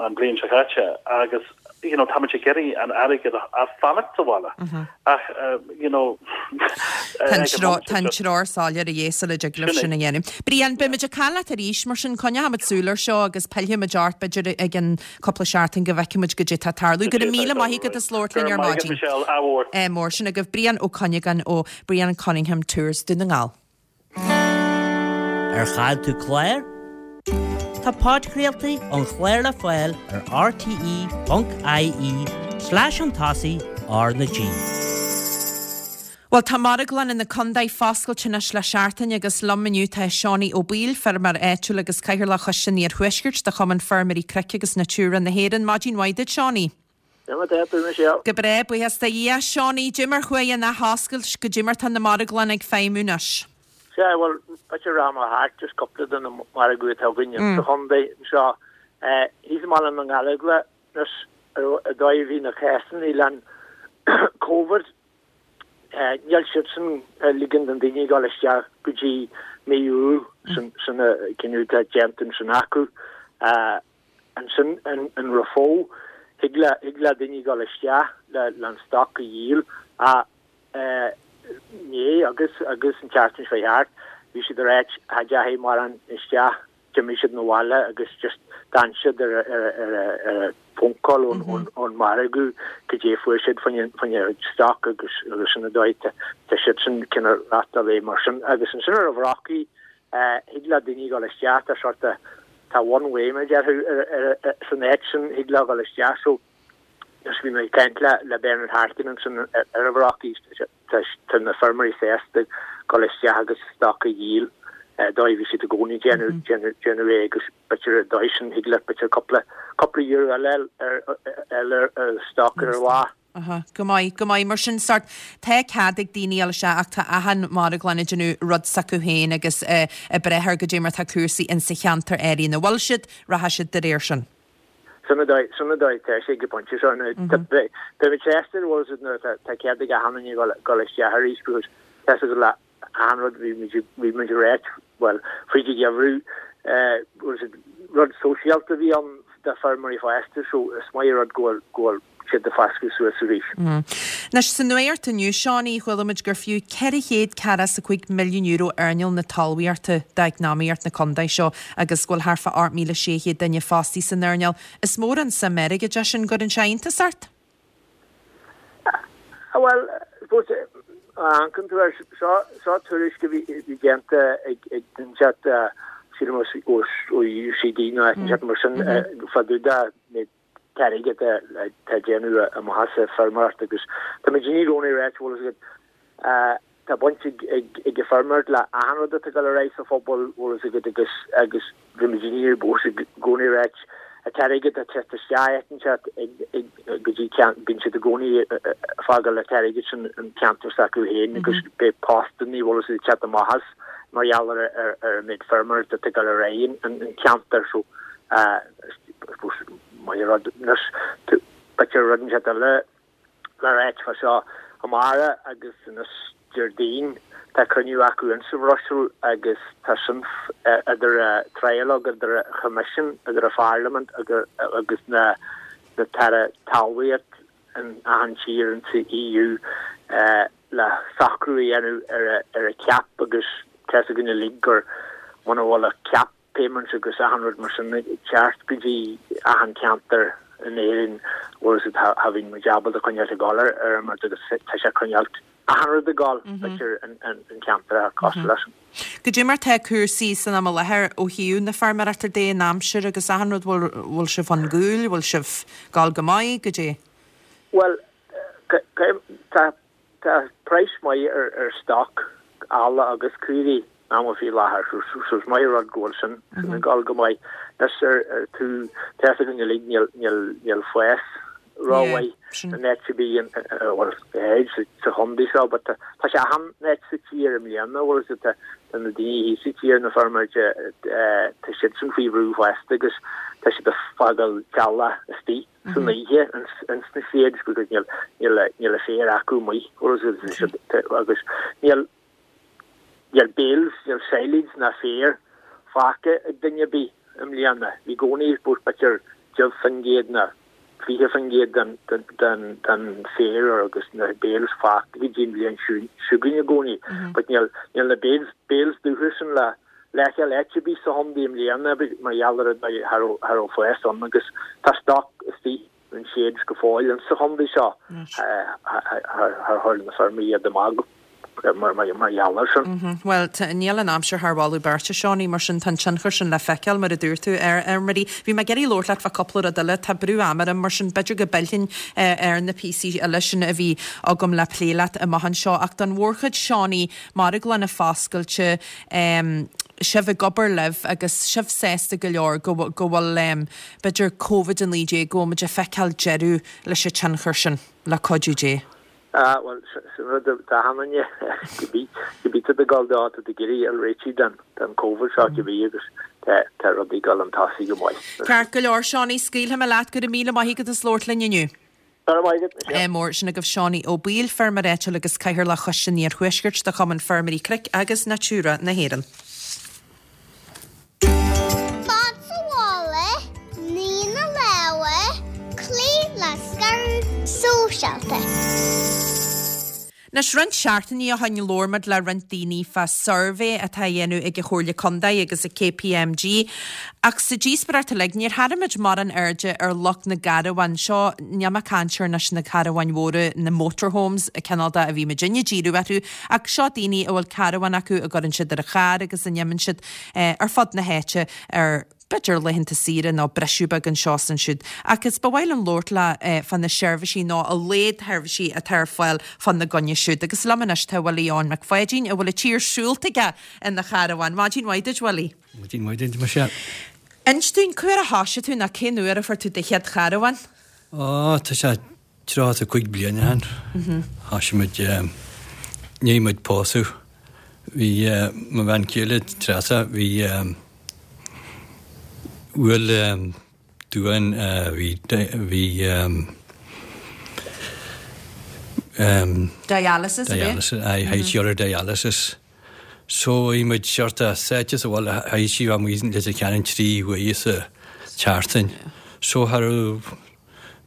an bhliain seo caite agus you know táimid ag iarraidh an airgead a fanacht sa bhaile ach you know Tá an treoir soiléir a dhíth sula dtig libh sin a dhéanamh. Brian, beimid ag caint leat arís mar sin, coinneochaimid súil air seo agus pillfimid ort b'fhéidir i gceann cúpla seachtain go bhfeicfimid goidé atá ag tarlú. Go raibh míle maith agat as labhairt linn ar maidin. Ádh mór. Sin agaibh Brian Ó Cuinneagáin ó Brian Cunningham Tours Dún na nGall. Ar chaill tú clár? Tá podchraoltaí an chláir le fáil ar rte.ie slash chun tosaigh R na G. Bhuel, tá marglanna na condae foscailte anois le seachtain agus liom inniu tá Seánie Ó Baoill, feirmeoir áitiúil agus Cathaoirleach Choiste an Iarthuaiscirt de Chumann Feirmeoirí Cnoic agus Natura na hÉireann. Maidin mhaith duit, Seánie. Go breá, buíochas do Dhia. Seánie, goidé mar chuaigh an athoscailt, goidé mar tá na marglanna ag feidhmiú anois. Sea, bhuel, b'fhéidir rachaidh mé thart just cúpla de na margaí atá againn sa chontae anseo. Thíos i mBaile na nGallóglach, anois, an dóigh a bhí na cásanna le an Covid, níl siadsan ag ligean don daoine dul isteach go dtí mí Iúil, sin an cinneadh atá déanta ansin acu. Ansin in Raphoe, thig le thig le daoine dul isteach le le an stoc a dhíol ach inné agus agus an tseachtain seo thart bhí siad ag ráit cha dteachaigh mórán isteach, d'imigh siad 'na bhaile agus just d'fhan siad ar ar ar ar a phone call ón ón ón margadh goidé fuair siad fá choinne fá choinne stoc agus agus sin an dóigh tá tá siadsan cineál reáchtáil é mar sin agus ansin ar an Bhrocaigh Thig le daoine dul isteach, tá sort of, tá one way mar a déarfá san áit sin, thig leo dul isteach so just bhí mé ag caint le le Bernard Harkin ansin ar an Bhrocaigh, tá tá na feirmeoirí sásta dul isteach agus stoc a dhíol dóigh a bhí siad i gcónaí déanamh déanamh déanamh é agus b'fhéidir an dóigh sin thig leat b'fhéidir cúpla cúpla euro eile ar ar ar stoc ar lá. Aha, go maith, go maith. Mar sin, sort, tá cead ag daoine dul isteach ach tá achan marglann ag déanamh rud s'acu féin agus ag brath ar goidé mar tá cúrsaí insa cheantar áirithe ina bhfuil siad, rachaidh siad de réir sin. Sin an dóigh, sin an dóigh atá sé ag an bpointe seo. Now, tá, beidh, beidh muid sásta, bhfuil a fhios agat, nuair atá, tá cead ag achan duine dul, dul isteach arís because tá a fhios agat le achan rud, bhí muid, bhí muid ag ráit, bhuel, fríd an gheimhreadh, bhfuil a fhios agat, rud sóisialta a bhí ann do feirmeoirí fosta so is maith an rud go bhfuil, go bhfuil. siad ag foscadh suas arís. Anois, sa nuacht inniu, Seánie, chuala muid gur fiú €445 milliún earnáil na talmhaíochta d'eacnamaíocht na contae seo agus go bhfuil thart fá 8,600 duine fostaithe san earnáil. Is mór an suim airgid é sin, an gcuireann sé iontas ort? Bhuel, suppose, má amharcann tú air, seo, seo tuairisc a bhí, bhí déanta ag, ag duine inteacht, sílim ó, ó UCD nó áit inteacht mar sin, fá dtaobh de méid t-airgead atá ag déanamh amach as an feirmeoireacht agus tá muid i gcónaí ag ráit, bhfuil a fhios agat, tá baint ag ag an feirmeoireacht le achan rud atá ag dul ar aghaidh sa phobal, bhfuil a fhios agat, agus agus bhí muid i gcónaí ag ráit an t-airgead atá ag teacht isteach áit inteacht ag ag go dtí ceann bíonn siad i gcónaí ag fágáil an t-airgead sin an ceantar s'acu féin agus beidh postannaí, bhfuil a fhios agat, ag teacht amach as mar gheall ar ar an méid feirmeoireacht atá ag dul ar aghaidh an ceantar so maith rud anois b'fhéidir rud inteacht eile le ráit fá seo amárach agus anois Déardaoin tá cruinniú acu insa Bhruiséil agus tá sin idir trialogue idir an Choimisiún idir an Pharlaimint agus na na tAire Talmhaíocht in achan tír insa EU le socrú a dhéanamh ar ar an CAP agus tá 'fhios againn uilig gur muna bhfuil an CAP payments agus achan rud mar sin ag teacht go dtí achan ceantar in Éirinn bhfuil a fhios agat cha bhíonn muid ábalta coinneáilt ag dul ar ar an rud agus tá sé coinneáilt achan rud ag dul b'fhéidir in ceantar cosúil leis an. Goidé mar tá cúrsaí san am i láthair ó thaobh na feirmeoireachta de, an aimsir agus achan rud, bhfuil bhfuil sibh chun gcúil, bhfuil sibh ag dul go maith, goidé? Bhuel tá Tá praghas maith ar stoc, ealla agus caoirigh amuigh faoi láthair so is maith an rud go bhfuil sin ag dul go maith. Anois ar tú, tá 'fhios againn uilig níl níl fás rómhaith in áit ar bith bhuel sa chontae seo but tá sé achan áit sa tír i mbliana bhfuil 'fhios agat tá na daoine thíos sa tír na feirmeoirí tá siadsan faoi bhrú fosta agus tá siad ag fágáil eallach istigh. san oíche ins na sheds because níl níl níl an féar acu amuigh agus níl níl bales níl silage ná féar fágtha ag duine ar bith i mbliana. Bhí i gcónaí b'fhéidir 10% ná 20% den den den féar agus na bales fágtha go dtí an bhliain seo chugainn i gcónaí but níl níl na bales bales dubha sin le le feiceáil áit ar bith sa chontae i mbliana mar gheall ar an cha raibh fás ann agus tá stoc istigh in sheds go fóill insa chontae seo char chuir na feirmeoirí iad amach mar gheall air sin. Bhuel, níl an aimsir thar mholadh beirte, Seánie, mar sin tá an tionchar sin le feiceáil, mar a dúirt tú, ar fheirmeoirí. Bhí mé ag iarraidh labhairt leat fá cúpla rud eile. Tá brú ama orm, mar sin b'fhéidir go bpillfinn ar na píosaí eile sin a bhí agam le plé leat amach anseo. Ach don mhórchuid, Seánie, marglanna foscailte, sibh ag obair libh agus sibh sásta go leor go go bhfuil b'fhéidir Covid-19, go bhfuil muid ag feiceáil deireadh leis an tionchar sin, le cuidiú Dé. Ah, bhuel, sin rud d'achan duine, cibé, cibé tá ag dul dó, tá ag iarraidh fháil réitithe den, den Covid seo cibé agus tá, tá rudaí ag dul chun tosaigh go maith. Ceart go leor, Seánie, scaoilfidh mé leat, go raibh míle maith agat as labhairt linn inniu. Go raibh maith agat, Michelle. Mór. Sin agaibh Seánie Ó Baoill, feirmeoir áitiúil agus Cathaoirleach Choiste an Iarthuaiscirt de Chumann Feirmeoirí Cnoic agus Natura na hÉireann. Fad sa bhaile, nigh na lámha, cloí le scaradh sóisialta. Anois, roinnt seachtainí ó shoin labhair muid le roinnt daoine fá suirbhé atá á dhéanamh ag an Chomhairle Contae agus ag KPMG. Ach sa díospóireacht uilig, níor tharraing muid mórán airde ar lucht na gcarbhán. Seo, níl mé ag caint ar anois na carbháin mhóra, na motorhomes, cineál de a bhí muidinne ag díriú orthu, ach seo daoine a bhfuil carbhán acu a gcuireann siad ar an charr agus a n-imíonn siad ar fud na háite ar b'fhéidir laethanta saoire nó briseadh beag anseo is ansiúd. Ach is ba mhaith liom labhairt leo fá na seirbhísí nó a laghad sheirbhísí atá ar fáil fá na gcoinne siúd. Agus liom anois tá Willie Eoin Mac Pháidín a bhfuil an tír siúlta aige ina charbhán. Maidin mhaith duit, Willie. Maidin mhaith duit, Michelle. Inis dúinn, cá huair a thoisigh tú nó cén uair a fuair tú do chéad charbhán? Ó, tá sé 35 bliain ó shin. Thoisigh muid, i ndiaidh muid pósadh. Bhí mo bhean chéile, Treasa, bhí, bhuail duán, bhí, bhí Dialysis, ab ea? Dialysis, aye, chaithfidh sí dul ar dialysis. So bhí muid sort of sáite sa bhaile, chaithfidh sí a bheith amuigh i Leitir Ceanainn 3 uaire sa tseachtain. So cha raibh.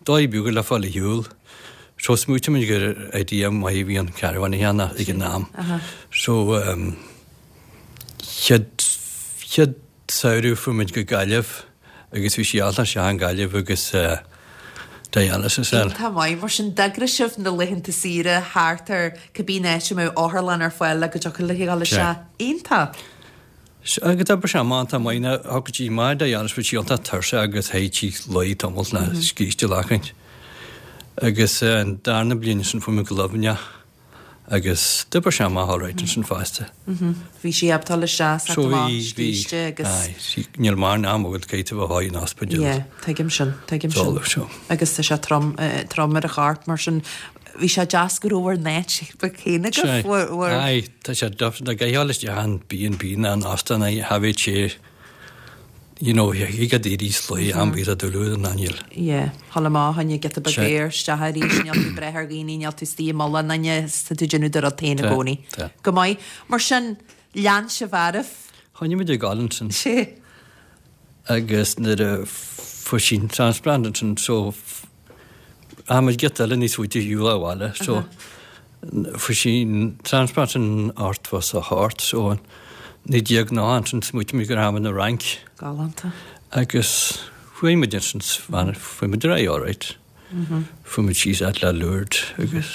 dóigh beag le fáil ar shiúl. So smaoitigh muid gur idea maith a bhí ann caravan a cheannach ag an am. So chéad chéad samhradh fuair muid go Gaillimh agus bhí sí allta isteach in Gaillimh agus dialysis air. Iontach maith. Mar sin d'eagraigh sibh na laethanta saoire thart ar cibé áit a mbeadh otharlann ar fáil le go dtiocfadh libh a dhul isteach. Iontach. Agus d'oibrigh sé amach iontach maith. Now thiocfadh sí amach dialysis bhí sí iontach tuirseach agus théadh sí luí tamall nó scíste a ghlacaint. Agus an darna bliain ansin fuair muid go Luimneach agus d'oibrigh sé amach alright ansin fosta. Bhí sí ábalta dul isteach sa amach scíste agus. Aye, sí, níl mórán am agat caithfidh tú a bheith in ospidéal. Yeah, tuigim sin, tuigim sin. Agus tá sé trom, trom ar a chorp mar sin. Bhí sé deas go raibh bhur n-áit féin agaibh. Aye, tá sé deas ag gabháil isteach an B&B ná an óstán a thabhairt sé, you know, thig a daoine sluí am bith a dúladh an ainneal. Yeah, thall amach tháinig giota beag aeir isteach arís, níl tú ag brath ar dhaoine, níl tú istigh i mullach aon duine, tá tú ag déanamh do rud féin i gcónaí. Go maith. Mar sin, lean sibh oraibh. Choinnigh muid ag gabháil ansin. Sea. Agus nuair a fuair sí an transplant ansin, so, Tá muid giota eile níos faide ar shiúl abhaile so fuair sí an transplant in 88 so 1990 ansin smaoitigh muid go rachaidh muid na Fhrainc. Galánta. Agus chuaigh muid ansin fuair muid ar aghaidh alright. Fuair muid síos fhad le Lourdes agus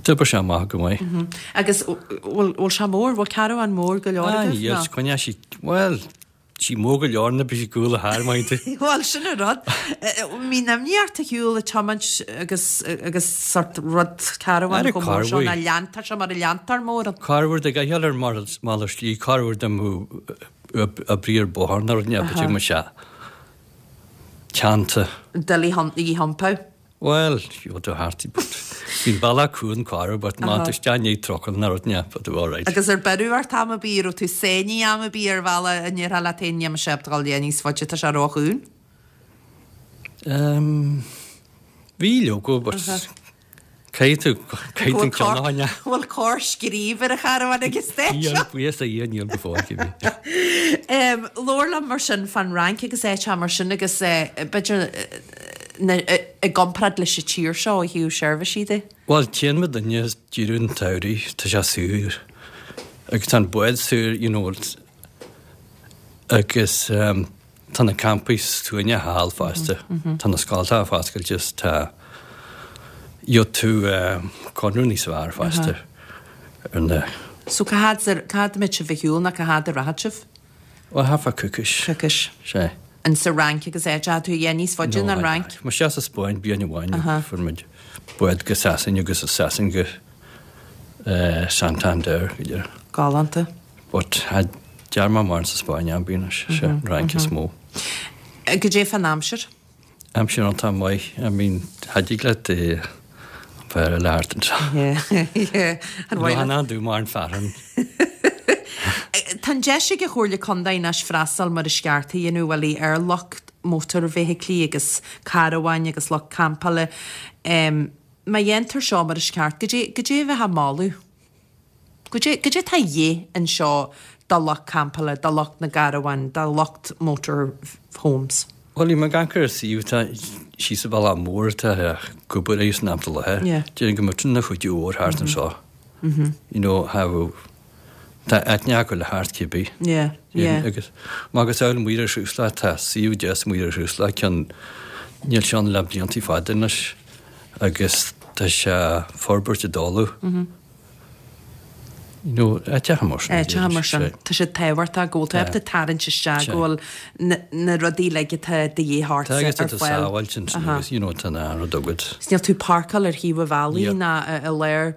d'oibrigh sé amach go maith. Agus bhfuil sé mór, bhfuil caravan mór go leor agaibh? Ah níl, coinneoidh sí, bhuel, Sí mór go leor nuair bhí sí gúla thar maith tú. Bhuel, sin an rud. Mbíonn imní ort ar shiúl ag tiomáint agus agus sort rud caravan chomh mór seo ná leantar sé mar a leantar mórán. Corruair dá gcaithfeá ar malairt slí, corruair dá mbeadh oibrí ar bóthar nó rud inteacht b'fhéidir go mbeadh sé teannta. Doiligh í iompú. Bhuel, gheobhaidh tú thart í but bhí an bealach cúng corruair but má tá isteach i ndiaidh trucail nó rud inteacht but alright. Agus ar beireadh ort am ar bith, raibh tú sáinnithe am ar bith ar bhealach a ndéarfá leat féin níl mise ábalta dul léi níos faide, tá sé róchúng? Ehm, bhí leoga but caithfidh tú, caithfidh tú an ceann a choinneáil. Bhfuil cor scríobh ar an charbhán ag an stage seo? Níl, buíochas le Dia níl go fóill cibé. Ehm, labhair liom mar sin fán Fhrainc agus áiteacha mar sin agus eh, b'fhéidir i gcomparáid leis an tír seo ó thaobh seirbhísí de? Bhuel, téann muid duine ag deireadh an tsamhraidh, tá sé saor agus tá an bád saor, you know, agus tá na campaí suaimhneach thall fosta, tá na scoltacha foscailte is tá, gheobhaidh tú conradh níos fearr fosta ar na. So cá fhad, cá fhad a mbeidh sibh ar shiúl nó cá fhad a rachaidh sibh? Bhuel, thart fá coicís. Coicís. Sea. In sa Fhrainc agus áit a tú yeah, níos faide ná an Fhrainc. Mar sea sa Spáinn bliain amháin fuair muid bád go Sasain agus as Sasain go Santander go deireadh. Galánta. But cha dearn mé mórán sa Spáinn am bíonn sé an Fhrainc is mó. Goidé fán aimsir? Aimsir iontach maith. I mean, cha dtig leat an fear eile thart anseo. Yeah. An mhaith leat? Nó dú mar an fearann. Tá an deis ag an Chomhairle Contae anois freastal mar is ceart a dhéanamh uilig ar lucht mótarfheithiclí agus carabháin agus lucht campála. Má dhéantar seo mar is ceart, goidé, goidé a bheifeá ag moladh? Goidé, goidé atá a dhíth anseo do lucht campála, do lucht na gcarbhán, do lucht motor homes? Bhuel, bhí mé ag amharc ar an suíomh atá síos an bealach mór atá ag obair air san am i láthair. Yeah. Déarfainn go mbeadh na chuid mhór thart anseo. You know, have tá aithne acu le thart cibé. Yeah, yeah. Agus má agus amhail Maoire Chruasla, tá suíomh deas Maoire Chruasla, ceann níl sé ann le blianta fada anois agus tá sé forbairt i dtólamh. You know, áiteacha mar sin. Áiteacha mar sin. Tá siad tábhachtach go bhfuil tú ábalta tarraingt isteach go bhfuil na rudaí uilig atá de dhíth ort Tá agus tá tú sábháilte ansin agus you know tá an rud agat. Is níl tú páirceáil ar thaobh an bhealaigh ná i lár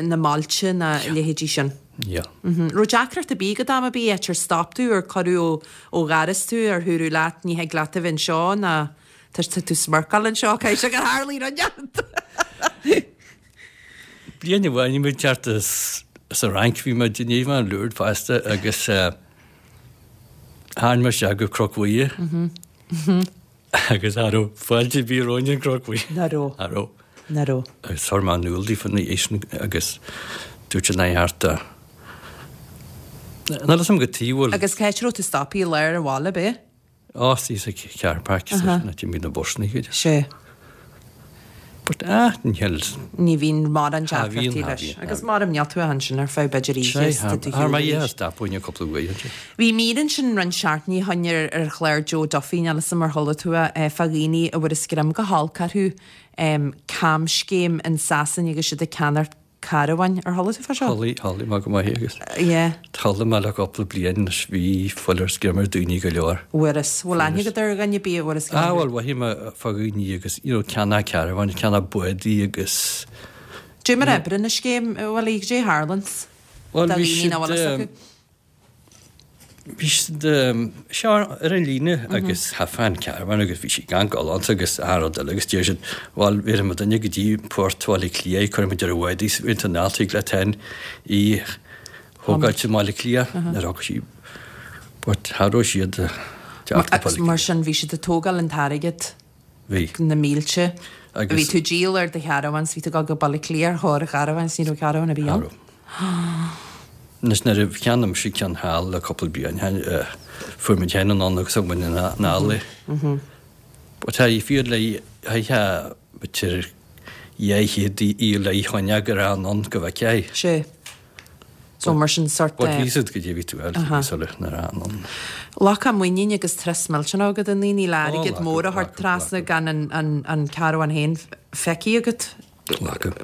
na mbailte ná a leithéidí sin. Yeah. Raibh deacracht ar bith agat am ar bith, áit ar stop tú, ar cuireadh ó dhoras tú, ar dúradh leat ní thig leat a bheith anseo ná tá tú smirceáil anseo, caithfidh sé gur tharlaigh rud inteacht. Bliain amháin bhí muid thart sa Fhrainc, bhí muid i ndiaidh bheith in Lourdes fosta agus tháinig muid isteach go Cnoc Mhuire agus cha raibh fáilte ar bith romhainn an Cnoc Mhuire. Ná raibh. Ná raibh. Ná raibh. Agus chuir mé in iúl daofa ina dhiaidh sin agus dúirt siad nach thart a. Níl a fhios agam cad tuige a bhfuil. Agus cá háit a raibh tú stoptha i lár an bhaile, ab é? Á, is sa car park sa na mbíonn na busanna go dtí. Sea. But ah, níl. Ní bhíonn mórán deacrachtaí leis. Agus mar níl tú ansin ar feadh b'fhéidir oíche is tá tú Thar mar oíche stop uainn cúpla uair ansin. Bhí mír ansin roinnt seachtainí ó shin ar ar chlár Joe Duffy, níl 'fhios a'm ar chuala tú é, fá dhaoine a bhfuair a screim go holc orthu camscéim in Sasain agus siad ag ceannacht carabháin. Ar chuala tú fá seo? Chuala, chuala mé go maith agus Yeah. chuala mé le cúpla bliain anois bhí fuil ar screim ar daoine go leor. Bhfuair is. Bhfuil aithne agat ar dhuine ar bith a bhfuair a screim? Ah bhuel mhothaigh mé fá dhaoine agus you know ceannach carabháin, ceannach bádaí agus. Dé mar a oibríonn an scéim, bhuel goidé a tharlaíonns Bhuel do bhí dhaoine nach siad bhfuil fhios acu? Bhí siad seo ar an líne agus chaithfeá an caravan agus bhí sí gan galánta agus achan rud eile agus deir siad bhuel bhéarfaidh muid duine go dtí port Bhaile Átha Cliath cuirfidh muid ar an bhád í is ins an alt thig leat féin í thógáilt i mBaile Átha Cliath nuair a thug sí but cha raibh siad teacht go Baile Átha Mar sin bhí siad ag tógáil an t-airgead Bhí. na mílte. Agus. Bhí tú ag díol ar do charavan 's bhí tú ag dul go Baile Átha Cliath ar thóir an charavan 's ní raibh caravan ar bith Cha ann. raibh. Anois nuair a cheannaigh mise ceann thall le cúpla bliain fuair muid féin anonn agus thug muid anall é. But tá fíor le haghaidh b'fhéidir 200 í le choinne go raibh anonn go bhfeicfeá é. Sé. So mar sin sort de. Bhí siad go dtí bhí tú eile sula na anonn. Glacadh muinín agus turas millteanach agat i ndaoine le airgead mór a thabhairt trasna gan an caravan féin feicthe agat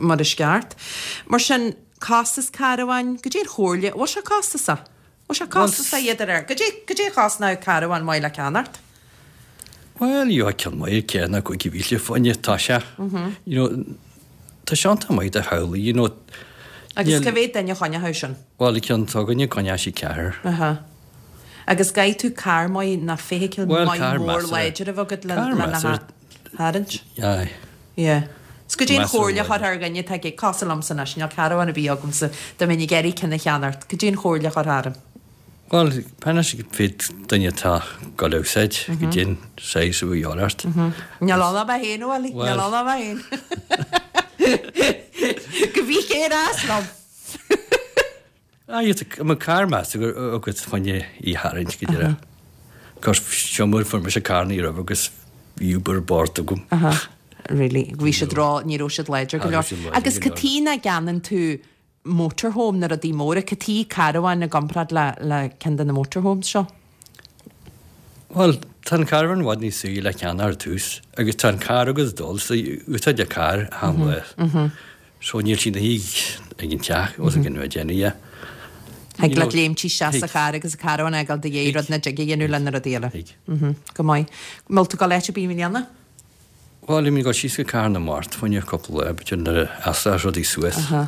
mar is ceart. Mar sin, costas carabháin, goidé an chomhairle, bhfuil sé costasach? Bhfuil sé costasach iad ar air? Goidé, goidé a chosnódh caravan maith le ceannacht? Bhuel, gheobhaidh ceann maith ceithre nó 5,000 fá choinne, tá sé. You know, tá sé iontach maith do theaghlaigh, you know. Agus cá mhéad duine a choinneochadh sin? Bhuel, an ceann s'againne coinneoidh sí ceathrar. Aha. Agus caithfidh tú carr maith ná feithicil Bhuel, maith carr mór measartha. láidir a bheith agat le Carr lena measartha. tharraingt. Aye. Yeah. 'S goidé an Measartha chomhairle a láidir. chuirfeá ar dhuine atá ag, cosúil liomsa anois, níl caravan ar bith agamsa, dá mbeinn ag iarraidh ceann a cheannacht, goidé an chomhairle a chuirfeá orm? Bhuel, anois féad duine atá ag dul a úsáid goidé an saghas a bhí ort. Níl ann ach mé féin, a Willie, níl ann ach mé féin. Go bhí céir as liom. Aye, tá mo carr measta agat fá choinne í a tharraingt go deireadh. Of course, seo mar fuair mise carr ní raibh agus bhí Uber bord agam. Really, bhí siad ró, ní raibh siad láidir go leor. Agus cad chuige nach gceannaíonn tú motorhome na rudaí móra, cad chuige caravan i gcomparáid le le ceann de na motorhomes seo? Bhuel, tá an caravan i bhfad níos saoire le ceannach ar tús agus tá an carr agat ag dul so úsáid an carr achan lá. So níl sí ina shuí ag an teach os a gcionn a déanamh dhe. Thig leat léimt isteach sa charr agus an caravan a fhágáil do dhiaidh rud nach dtig a dhéanamh le na rudaí eile. Thig. Go maith. An bhfuil tú ag dul áit ar bith i mbliana? Bhuel, bhí mé ag dul síos go Cathair na Mart fá choinne cúpla lá, b'fhéidir nuair a sheasfas rudaí suas. Aha.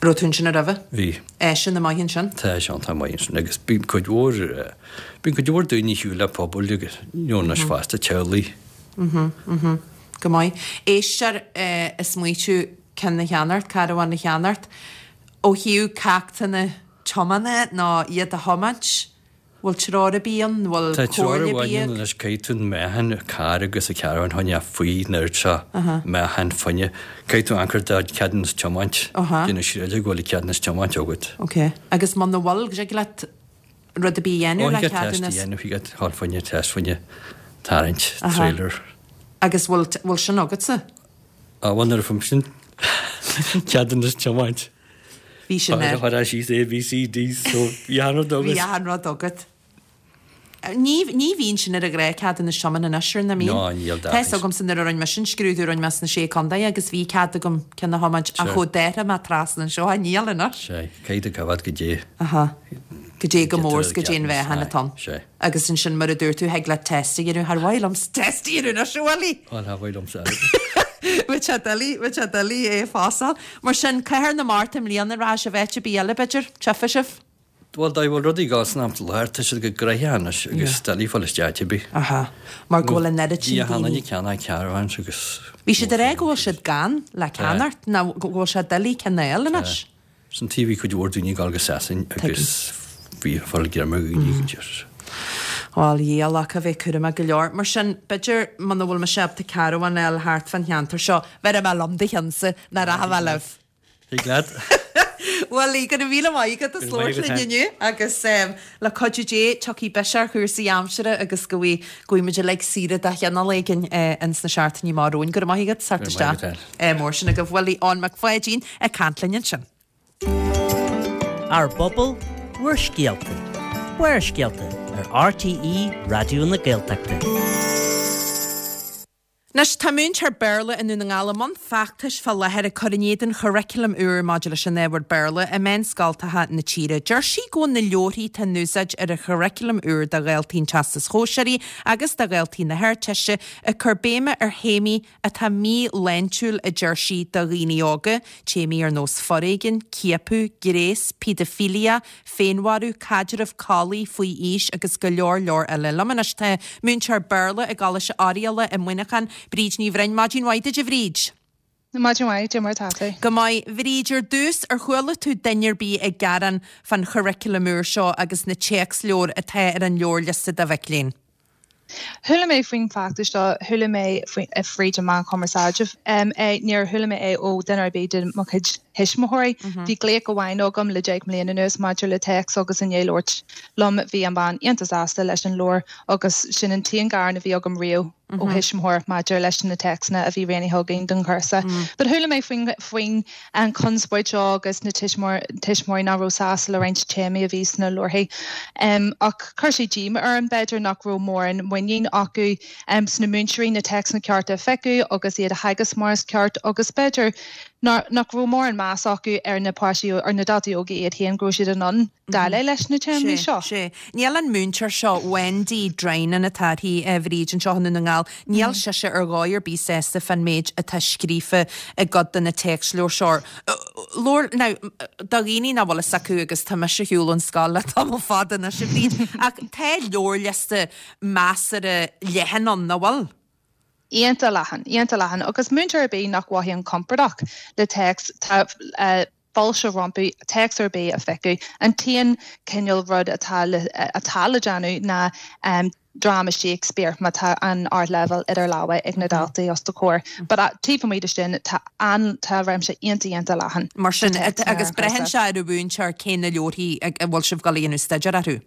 Raibh tú ansin roimhe? Bhí. Áiseanna maith ansin? Tá áiseanna maith ansin agus bíonn cuid mhór, bíonn cuid mhór daoine ar shiúl le pobail agus, you know, anois fosta, teaghlaigh. Mhm, mhm. Go maith. Éisteoir ag smaoitiú ceann a cheannacht, caravan a cheannacht, ó thaobh ceachtanna tiomána nó iad a thiomáint, Bhfuil treoir ar bith ann? Bhfuil Tá treoir comhairle ar bith amháin ann ag. anois, caithfidh tú an meáchan carr agus an caravan a choinneáil faoi an oiread seo meáchan fuinneamh. Caithfidh tú amharc ar do cheadúnas tiomáint, déanamh siúráilte go bhfuil an ceadúnas tiomáint agat. Ok. Agus muna bhfuil, dtig leat rud ar bith a dhéanamh Ó, le thig leat test a ceadúnas? dhéanamh, thig leat dhul fá choinne test fá choinne tarraingt, trailer. Agus bhfuil, bhfuil sin agatsa? Á, bhuel nuair a fuair mise an ceadúnas tiomáint. Bhí sin air. Chuir síos A, B, C, D, so bhí achan rud agat. Bhí achan rud agat. Ní, ní bhíonn sin ar an ghnáthcheadúnas tiomána anois ar nach mbíonn? Ná, níl Tá fhios agamsa nuair a rinne mise an scrúdú rinne mé sna Sé Contae agus bhí cead agam ceann a thiomáint ach ó d'athraigh mé trasna anseo, níl anois. Sé, caithfidh tú coimhéad goidé. Aha. Goidé chomh mór is goidé an mheáchan atá ann. Sé. Agus ansin mar a dúirt tú, thig leat test a dhéanamh, char mhaith liomsa test a dhéanamh anois, a Willie! Bhuel, char mhaith liomsa airgead. Bheadh sé doiligh, bheadh sé doiligh é a phasáil. Mar sin, Cathair na Mart i mbliana, rachaidh sibh áit ar bith eile, b'fhéidir? Tchífidh sibh? Bhuel, dá bhfuil rudaí ag dul san am láthair, tá siad go gnoitheach anois agus doiligh fáil isteach áit ar bith. Aha. Mar go bhfuil an oiread sin Bhí achan daoine. duine ag ceannach caravans agus. Bhí siad ag rá go bhfuil siad gann le ceannacht, nó go bhfuil sé doiligh ceann a fháil anois. San taobh bhí cuid mhór daoine ag dul go Sasain agus bhí fuil greim ar dhaoine go dtí. Bhuel, a Dhia, a bheith cúramach go leor. Mar sin, b'fhéidir, muna bhfuil mise ábalta caravan a fháil thart fán cheantar seo, bhéarfaidh mé liom do cheannsa, ná rachaidh mé libh. Thig leat. Bhuel, go raibh míle maith agat as labhairt linn inniu agus le cuidiú Dé tiocfaidh biseach ar chúrsaí aimsire agus go bhfaighidh muid uilig saoire de chineál éigin ins na seachtainí amach romhainn. Go raibh maith agat as teacht isteach. Mór sin agaibh. Bhuel, Eoin Mac Pháidín ag caint linn ansin. Ár bpobal, bhur scéalta. Barrscéalta ar RTÉ Raidió na Gaeltachta. Anois, tá múinteoir Béarla i nDún na nGall i mbun feachtais fá láthair ag cur in éadan churaclam úr maidir leis an ábhar Béarla i meánscoltacha na tíre. Deir sí go bhfuil na leabharthaí atá in úsáid ar an churaclam úr do dhaltaí an Teastais Shóisearaigh agus do dhaltaí na hArdteiste ag cur béime ar théamaí atá míshláintiúil, a deir sí, do dhaoine óga, téamaí ar nós foréigean, ciapadh, gnéas, pedophhilia, féinmharú, caidreamh collaí faoi aois agus go leor leor eile. Liom anois tá múinteoir Béarla i gColáiste Oirialla i Muineachán, Bríd Ní Bhroin. Maidin mhaith duit, a Bhríd. Maidin mhaith, cad é mar atá tú? Go maith. Bhríd, ar dtús, ar chuala tú duine ar bith ag gearán fán churaclam úr seo agus na téacsleabhair atá ar an leabharliosta do mhic léinn? Chuala mé faoin bhfeachtas seo, chuala mé fríd an meán cumarsáide é, níor chuala mé é ó duine ar bith de mo chuid thuismitheoirí. Bhí glaoch amháin agam le 10 mbliana anuas maidir le téacs agus i ndiaidh labhairt liom bhí an bhean iontach sásta leis an leabhar agus sin an t-aon ghearán a bhí agam riamh ó thuismitheoir maidir leis na téacsanna a bhí roghnaithe againn don chúrsa. But chuala mé faoin faoin an chonspóid seo agus na tuismitheoirí nach raibh sásta le roinnt téamaí a bhí sna leabharthaí. Ach chuir sé díoma orm, b'fhéidir, nach raibh mórán muinín acu sna múinteoirí na téacsanna cearta a phiocadh agus iad a theagasc mar is ceart agus b'fhéidir nach raibh mórán meas acu ar na páistí, ar na daltaí óga iad féin, go raibh siad in ann déileáil leis na téamaí seo. Sea. Níl an múinteoir seo, Wendy Drinan atá uirthi, a Bhríd, anseo i nDún na nGall, níl sise ar dhóigh ar bith sásta fán méid atá scríofa i gcuid de na téacsleabhair seo. Leabhar, now, do dhaoine nach bhfuil fhios acu, agus tá mise ar shiúl ón scoil le tamall fada anois, a Bhríd, ach tá leabharliosta measartha leathan ann, nach bhfuil? Iontach leathan, iontach leathan. Agus múinteoir ar bith nach mhothaíonn compordach le téacs, tá fáilte rompu téacs ar bith a phiocadh. An t-aon chineál rud atá le atá le déanamh ná dráma Shakespeare má tá an ardleibhéal idir lámha ag na daltaí os do chomhair. But taobh amuigh de sin tá an tá réimse iontach iontach leathan Mar sin, agus braitheann sé ar an mhúinteoir cé na leabharthaí a bhfuil sibh ag dul a dhéanamh staidéar orthu.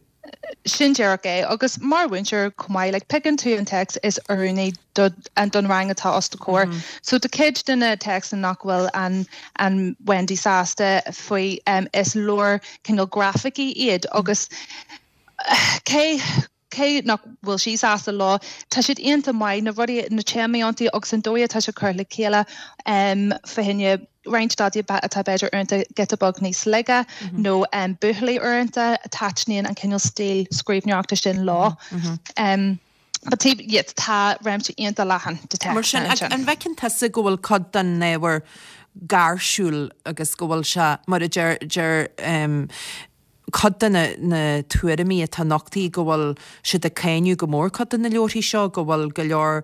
Sin díreach é. Agus mar mhúinteoir chomh maith, like, piocann tú an téacs is oiriúnaí do, don rang atá os do chomhair. So do cuid de na téacsanna nach bhfuil an, an Wendy sásta faoi, is leabhair cineál grafaicí iad agus cé, cé nach bhfuil sí sásta leo, tá siad iontach maith, na rudaí, na téamaí iontu agus an dóigh atá siad curtha le chéile, fá choinne roinnt daltaí atá b'fhéidir uaireanta giota beag níos laige nó buachaillí uaireanta, taitníonn an cineál stíl scríbhneoireachta sin leo. But taobh, yeah, tá réimse iontach leathan de Mar sin, téacsanna ansin. an bhfeiceann tusa go bhfuil cuid den ábhar gáirsiúil agus go bhfuil sé, mar a deir, deir, cuid de na tuairimí atá nochtaithe go bhfuil siad ag cáineadh go mór cuid de na leabharthaí seo, go bhfuil go leor,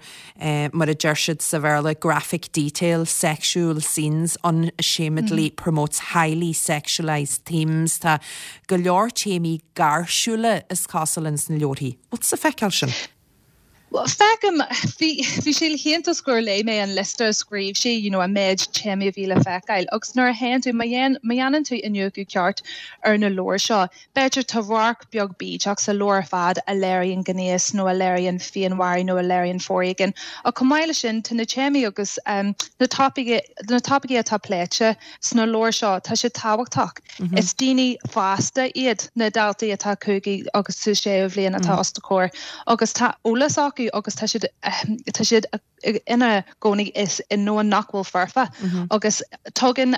mar a deir siad sa Bhéarla, graphic detail, sexual scenes, unashamedly promotes highly sexualised themes. Tá go leor téamaí gáirsiúla, is cosúil, ins na leabharthaí. Bhfuil tusa ag feiceáil sin? Bhuel, feicim, bhí, bhí sé le hiontas gur léigh mé an liosta a scríobh sí, you know, an méid téamaí a bhí le feiceáil. Agus nuair a théann tú, má dhéan, má dhéanann tú iniúchadh ceart ar na leabhair seo, b'fhéidir tá radharc beag bídeach sa leabhar ar fad a léiríonn gnéas nó a léiríonn féinmharú nó a léiríonn foréigean. Ach chomh maith leis sin, tá na téamaí agus na topaicí, na topaicí atá pléite sna leabhair seo, tá siad tábhachtach. Is daoine fásta iad na daltaí atá cúigiú agus sa séú bhliain atá os do chomhair agus tá eolas acu agus tá siad tá siad ina gcónaí is i ndomhan nach bhfuil foirfe agus tugann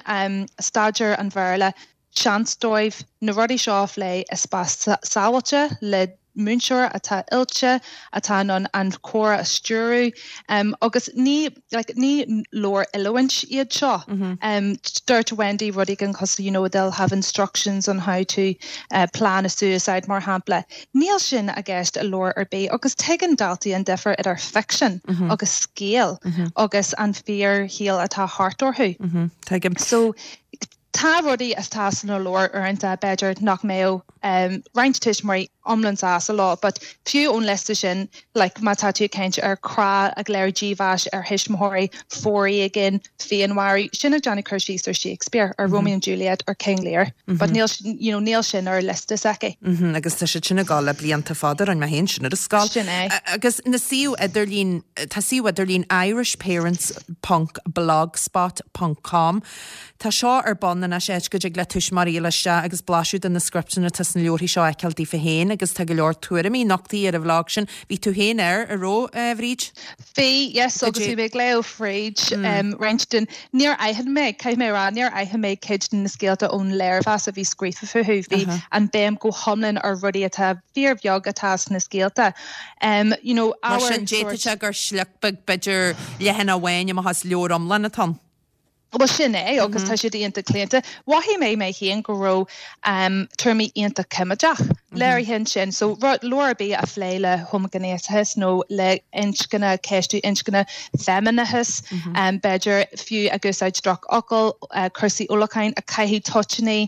staidéar an Bhéarla seans dóibh na rudaí seo a phlé i spás sábháilte le múinteoir atá oilte, atá in ann an comhrá a stiúradh agus ní like ní leabhair oiliúint iad seo. Dúirt Wendy rud éigin cosúil you know they'll have instructions on how to plan a suicide mar shampla. Níl sin i gceist i leabhar ar bith agus tuigeann daltaí an difear idir ficsean agus scéal agus an fíorshaol atá thart orthu. Tuigim. So tá rudaí atá sna leabhair uaireanta b'fhéidir nach mbeadh roinnt tuismitheoirí. iomlán sásta leo but fiú ón liosta sin like má tá tú ag caint ar chrá ag léiriú dímheas ar thuismitheoirí, foréigean, féinmharú, sin ag déanamh cur síos ar Shakespeare, ar Romeo and Juliet, ar King Lear but níl you know níl sin ar liosta s'aici. Mhm agus tá siad sin ag dul le blianta fada, rinne mé féin sin ar an scoil. Sin é. Agus na suíomh idirlín, tá suíomh idirlín irishparents ponc blogspot ponc com Tá seo ar bun anois, áit go dtig le tuismitheoirí a dhul isteach agus blaiseadh de na scripteanna atá sna leabharthaí seo a fheiceáil daofa féin agus tá go leor tuairimí nochtaithe ar an bhlag sin. Bhí tú féin air, a raibh, a Bhríd? Bhí, yes, agus bhí mé ag léamh fríd roinnt den, níor aithin mé, caithfidh mé a rá, níor aithin mé cuid de na scéalta ón léirmheas a bhí scríofa fúthu. Bhí an béim go hiomlán ar rudaí atá fíorbheag atá sna scéalta. You know, Mar sin, d'fhéadfadh sé gur sliocht beag, b'fhéidir leathanach amháin amach as leabhar iomlán atá ann. Bhuel sin é agus tá siad iontach claonta. Mhothaigh mé mé féin go raibh tuairimí iontach coimeádach léirithe ansin. So leabhar ar bith a phléigh le homaighnéasachas nó le inscne, ceistiú inscne, feimineachas, b'fhéidir fiú ag úsáid drochfhocal, cúrsaí ólacháin, ag caitheamh toitíní,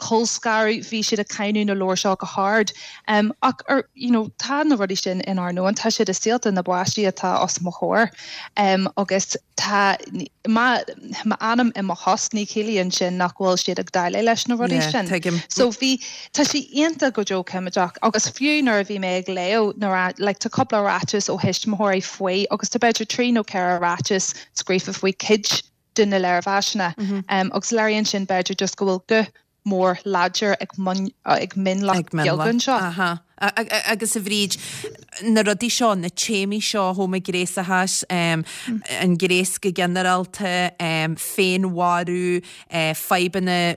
colscaradh, bhí siad ag cáineadh na leabhar seo go hard. Ach ar, you know, tá na rudaí sin inár ndomhan, tá siad i saolta na bpáistí atá os mo chomhair agus Tá m'anam i mo thost, ní chiallaíonn sin nach bhfuil siad ag déileáil leis na rudaí Yeah, sin. tuigim. So bhí, tá sé iontach go deo coimeádach agus fiú nuair a bhí mé ag léamh na rá, like tá cúpla ráiteas ó thuismitheoirí faoi agus tá b'fhéidir trí nó ceithre ráiteas scríofa faoi cuid de na léirmheasanna agus léiríonn sin b'fhéidir just go bhfuil guth mór láidir ag mionlach beag anseo. Aha. Agus a Bhríd, na rudaí seo, na téamaí seo, homaighnéasachas, an gnéas go ginearálta, féinmharú, fadhbanna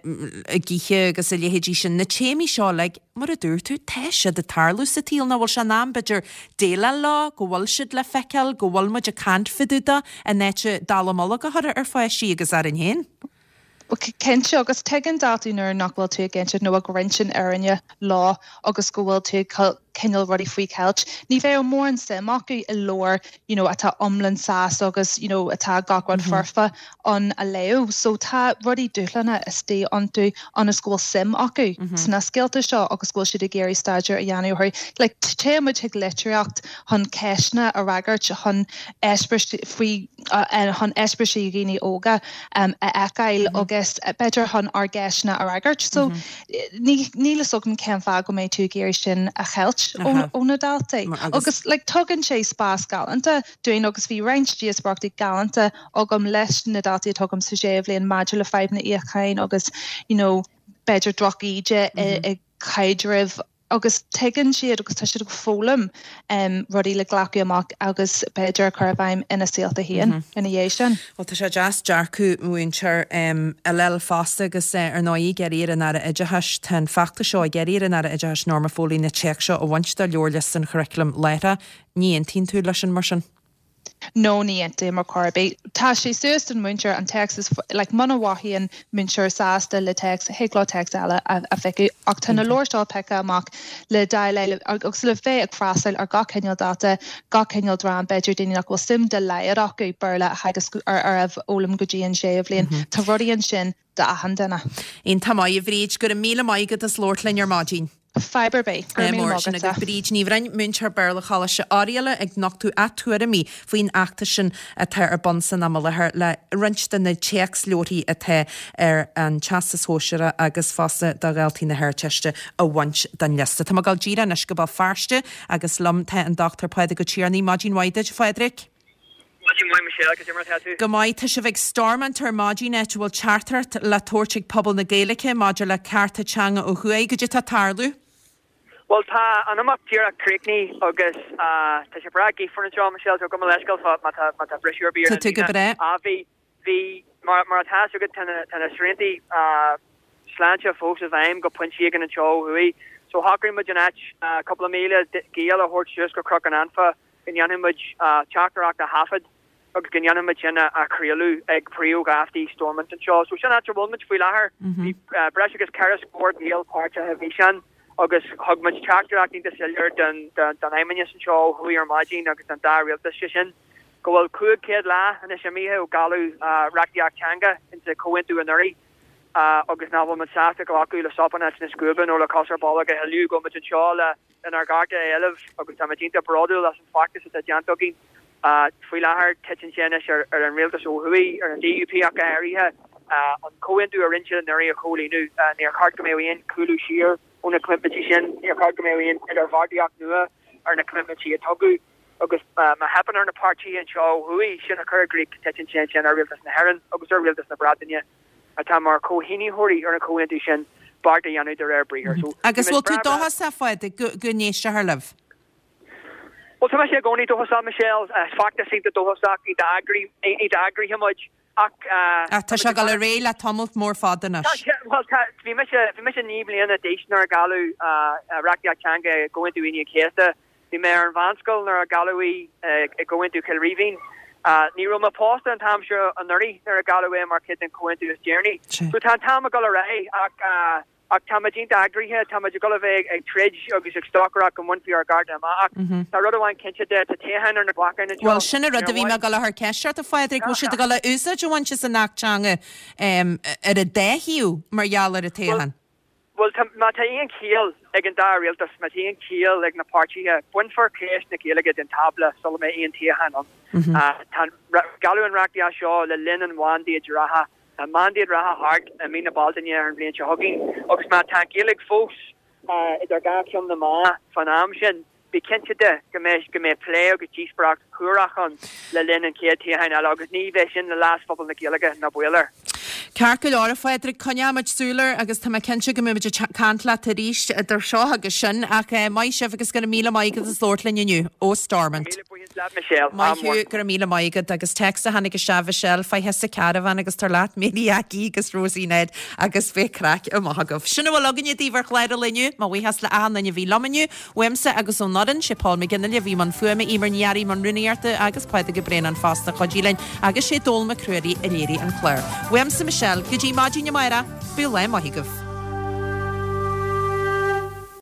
ag ithe agus a leithéidí sin, na téamaí seo uilig, mar a dúirt tú, tá siad ag tarlú sa tsaol, nach bhfuil sé in am, b'fhéidir, déileáil leo, go bhfuil siad le feiceáil, go bhfuil muid ag caint fá dtaobh de, in áit dallamullóg a chur ar pháistí agus orainn féin. Cinnte, agus tuigeann daltaí nuair nach bhfuil tú ag insint nó ag roinnt an fhírinne leo agus go bhfuil tú ag cineál rudaí faoi cheilt. Ní bheadh mórán suim acu i leabhar you know atá iomlán sásta agus you know atá gach rud foirfe ann a léamh. So tá rudaí dúshlánacha istigh iontu ionas go bhfuil suim acu sna scéalta seo agus go bhfuil siad ag iarraidh staidéar a dhéanamh orthu. Like téann muid chuig litríocht chun ceisteanna a fhreagairt, chun eispéiris faoi chun eispéirisí dhaoine óga a fheiceáil agus b'fhéidir chun ár gceisteanna a fhreagairt. So níl fhios agam cén fáth go mbeidh tú ag iarraidh sin a cheilt ó na daltaí. Agus like tugann sé spás galánta dúinn agus bhí roinnt díospóireachtaí galánta agam leis na daltaí atá agam sa séú bhliain maidir le fadhbanna itheacháin agus you know b'fhéidir droch-íde i gcaidrimh agus tuigeann siad agus tá siad ag foghlaim rudaí le glacadh amach agus b'fhéidir a chur i bhfeidhm ina saolta féin ina dhiaidh sin. Bhuel tá sé deas dearcadh múinteoir a fháil fosta agus ar ndóigh ag iarraidh ar an Aire Oideachais, tá an feachtas seo ag iarraidh ar an Aire Oideachais Norma Foley na téacs seo a bhaint de leabharliosta an churaclaim láithreach. Ní aontaíonn tú leis sin mar sin? No, ní aontaím ar chor ar bith. Tá sé suas don mhúinteoir an téacs is, like, muna mhothaíonn múinteoir sásta le téacs, thig leo téacs eile a phiocadh. Ach tá na leabhair seo pioctha amach le déileáil agus le bheith ag freastal ar gach cineál dalta, gach cineál dream, b'fhéidir daoine nach bhfuil suim dá laghad acu Béarla a theagasc ar a fhoghlaim go dtí an séú bhliain. Tá rudaí ansin d'achan duine. Iontach maith, a Bhríd. Go raibh míle maith agat as labhairt linn ar maidin. Fadhb ar bith. Go raibh míle maith Sin agatsa. agaibh Bríd Ní Bhroin, múinteoir Béarla Choláiste Oirialla ag nochtadh a tuairimí faoin fheachtas sin atá ar bun san am i láthair le roinnt de na téacsleabharthaí atá ar an Teastas Shóisearach agus fosta do dhaltaí na hArdteiste a bhaint den liosta. Tá mé ag dul díreach anois go Béal Feirste agus liom tá an Dr Pádraig Ó Tiarnaigh. Maidin mhaith duit, a Phádraig. Maidin mhaith Michelle, cad é mar atá tú? Go maith, tá sibh ag Stormont ar maidin, áit a bhfuil teachtaireacht le tabhairt ag pobal na Gaeilge maidir le cearta teanga ó thuaidh. Cad é atá ag tarlú? Bhuel, tá an imeacht díreach críochnaithe agus tá sé breá gaofar anseo, Michelle, so gabh mo leithscéal má tá briseadh ar bith ar an líne. Tá tú go breá. Bhí, bhí, mar atá fhios agat, tá na sriantaí sláinte fós i bhfeidhm go pointe éigin anseo ó thuaidh. So shocraigh muid an áit cúpla míle Gael a thabhairt suas go Cnoc an Anfa go ndéanfaidh muid teachtaireacht a thaifead agus go ndéanfaidh muid sin a chraoladh ag príomhgheaftaí Stormont anseo. So sin áit a bhfuil muid faoi láthair. Bhí breis agus 4 scór Gael páirteach i bhfíseán agus thug muid teachtaireacht iontach soiléir don Fheidhmeannas anseo ó thuaidh ar maidin agus don dá rialtas, sé sin go bhfuil 500 lá anois imithe ó gealladh reachtaíocht teanga insa Chomhaontú anuraidh. Agus nach bhfuil muid sásta glacadh le sop in áit na scuaibe nó le cos ar bolg a thuilleadh, go bhfuil muid anseo le lenár gcearta a éileamh agus tá muid iontach bródúil as an bhfeachtas atá déanta againn. Faoi láthair, titeann sé anois ar an rialtas ó thuaidh, ar an DUP ach go háirithe, an comhaontú a rinne siad anuraidh a chomhlíonadh. Níor cheart go mbeadh aon chúlú siar ó na coimitmintí sin, níor cheart go mbeadh aon idirbheartaíocht nua ar na coimitmintí a tugadh agus má theipeann ar na páirtithe anseo ó thuaidh sin a chur i gcrích, titeann sé ansin ar rialtas na hÉireann agus ar rialtas na Breataine. atá mar chomhshínitheoirí ar an chomhaontú sin, beart a dhéanamh de réir briathair. So, Agus bhfuil tú dóchasach, a Phádraig, go go n-éistfear libh? Bhuel, tá mise i gcónaí dóchasach, Michelle. Is feachtas iontach dóchasach, iontach eagraithe muid, ach. Ach tá sé ag dul ar aghaidh le tamalt mór fada anois. Tá sé, bhuel, tá, bhí mise, bhí mise 9 mbliana d'aois nuair a gealladh reachtaíocht teanga i gComhaontú Aoine an Chéasta. Bhí mé ar an mheánscoil nuair a gealladh í i gComhaontú Chill Rímhinn. Ní raibh mé pósta an t-am seo anuraidh nuair a gealladh é mar chuid den chomhaontú is deireanaí. So tá an t-am ag dul ar aghaidh ach ach tá muid iontach eagraithe, tá muid ag dul a bheith ag troid agus ag stocaireacht go mbainfí ár gcearta amach ach tá rud amháin cinnte de, tá toghchán ar na bacáin anseo. Bhuel sin an rud a bhí mé ag dul a chur ceist ort a Phádraig, bhfuil siad ag dul a úsáid a bhaint as an Acht Teanga ar an dá thaobh mar gheall ar an toghchán? Bhuel, tá, má tá aon chiall ag an dá rialtas, má tá aon chiall ag na páirtithe, bainfear ceist na Gaeilge den tábla sula mbeidh aon toghchán ann. Tá, gealladh an reachtaíocht seo le linn an mhandéid reatha. Tá an mandéid reatha thart i mí na Bealtaine ar an bhliain seo chugainn agus má tá an Ghaeilge fós idir dhá cheann na meá fán am sin, Bí cinnte de go mbeidh go mbeidh plé agus díospóireacht shuarach ann le linn an chéad toghcháin eile agus ní bheidh sin le leas phobal na Gaeilge ná baol air. Ceart go leor, a Phádraig, coinneoidh muid súil air agus tá mé cinnte go mbeidh muid ag caint leat arís idir seo agus sin. Ach maith sibh agus go raibh míle maith agat as labhairt linn inniu ó Stormont. Míle buíochas leat Michelle. Maith thú, go raibh míle maith agat. Agus téacs a tháinig isteach, Mhichelle, faigh thusa carbhán agus tar leat Mary Jackie agus Rosie Ned agus beidh craic amach agaibh. Sin a bhfuil againne daoibh ar chlár an lae inniu. Mo bhuíochas le achan duine a bhí liom inniu. Uaimse agus ón fhoireann, sé Paul McGinley a bhí i mbun fuaime, Eimear Ní Fhearraigh i mbun rúnaíochta agus Pádraig Ó Braonáin fosta a chuidigh linn agus sé Dónal Mac Ruairí a léirigh an clár. Uaimse Michelle, go dtí maidin amárach, bíodh lá maith agaibh.